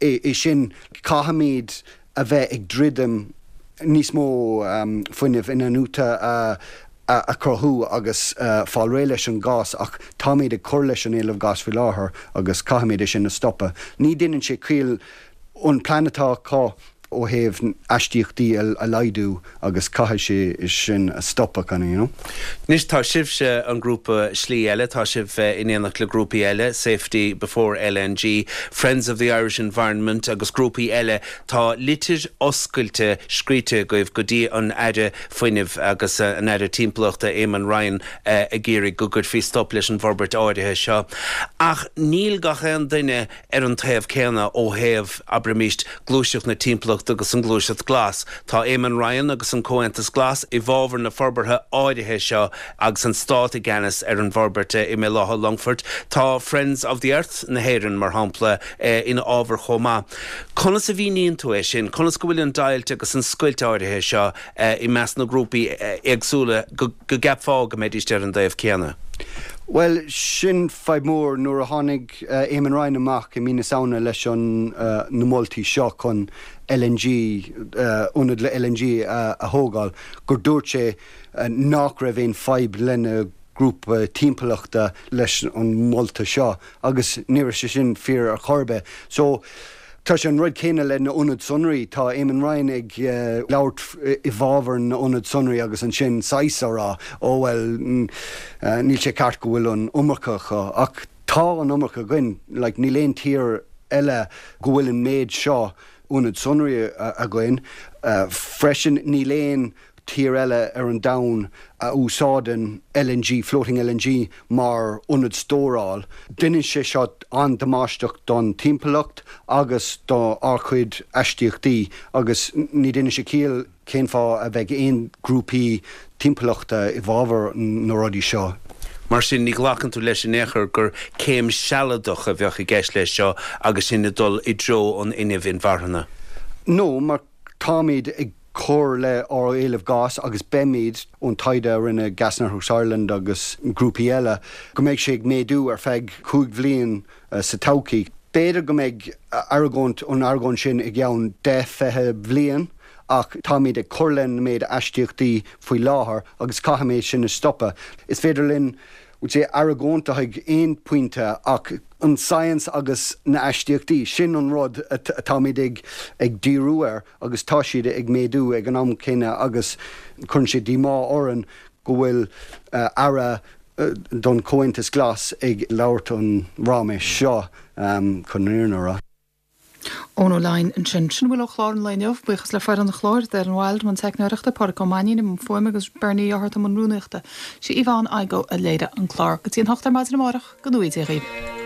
é sin. Caithfimid a bheith ag druidim níos mó fuinnimh inathnuaite a a chruthú agus fáil réidh leis an gás ach táimid ag cur leis an éileamh gáis faoi láthair agus caithfimid é sin a stopadh. Ní dhéanann sé ciall an plean atá acu ó thaobh aistíochtaí a laghdú agus caithfidh sé sin a stopadh kind of, you know. Anois tá sibhse an grúpa Slí Eile, tá sibh in éineacht le grúpaí eile, Safety Before LNG, Friends of the Irish Environment agus grúpaí eile, tá litir oscailte scríte agaibh go dtí an Aire Fuinnimh agus an Aire Timpeallachta Eamon Ryan ag iarraidh go gcuirfí stop leis an bhforbairt áirithe seo. Ach níl gach aon duine ar an taobh céanna ó thaobh, abraimis, gluaiseacht na timpeallachta agus an ghluaiseacht glas. Tá Eamon Ryan agus an Comhaontas Glas i bhfabhar na forbartha áirithe seo agus an stát i gceannas ar an bhforbairt i mBéal Átha Longfoirt. Tá Friends of the Earth na hÉireann, mar shampla, ina fhábhar chomh maith. Conas a mhíníonn tú é sin? Conas go bhfuil an deighilt agus an scoilt áirithe seo i measc na ngrúpaí éagsúla go gceapfá go mbeidís ar an dtaobh céanna? Bhuel, sin fadhb mhór nuair a tháinig Eamon Ryan amach i mí na Samhna leis an na moltaí seo chun LNG, ionad le LNG a thógáil, gur dúirt sé nach raibh aon fadhb lena grúpa timpeallachta leis an molta seo agus ní raibh sé sin fíor ar chor ar bith. So, tá sé an rud céanna le na ionaid sonraí. Tá Eamon Ryan ag labhairt i bhfabhar na ionad sonraí agus ansin saghas á rá, ó bhuel, níl sé ceart go bhfuil an iomarca acu. Ach tá an iomarca againn. Like, níl aon tír eile go bhfuil an méid seo ionad sonraí againn. Freisin, níl aon tír eile ar an domhan a úsáideann LNG, floating LNG, mar ionad stóráil. Déanann sé seo an-damáisteach don timpeallacht agus do ár chuid aistíochtaí agus ní déanann sé ciall cén fáth a bheidh aon grúpaí timpeallachta i bhfabhar na rudaí seo. Mar sin, ní ghlacann tú leis in aon chor gur céim sealadach a bheadh i gceist leis seo agus sinn ag dul i dtreo an fhuinnimh inmharthana? No, mar táimid ag cur le ár éileamh gás agus beimid, ón taighde a rinne Gas Networks Ireland agus grúpaí eile, go mbeidh sé ag méadú ar feadh cúig bhliain sa todhchaí. B'fhéidir go mbeidh argóint, an argóint sin i gceann deich, fiche bhliain ach táimid ag cur len méid aistíochtaí faoi láthair agus caithfimid sin a stopadh. Is féidir linn would say argóint ag aon pointe ach an science agus na aistíochtaí, sin an rud atáimid ag ag díriú air agus tá siad ag méadú ag an am céanna agus cuireann sé díomá orainn go bhfuil aire don Chomhaontas Glas ag labhairt an ráiméis seo chun an fhírinne a rá. Eoin Ó Laighin ansin. Sin a bhfuil ó chlár an lae inniu. Buíochas le foireann an chláir, Darren Wilde i mbun teicneoireachta, Pádraic Ó Mainnín i mbun fuaime agus Bernie Ó hEarta i mbun rúnaíochta. Sí Yvonne Igoe a léirigh an clár. Go dtí an hocht ar maidin amárach, go ngnóthaí Dia dhaoibh.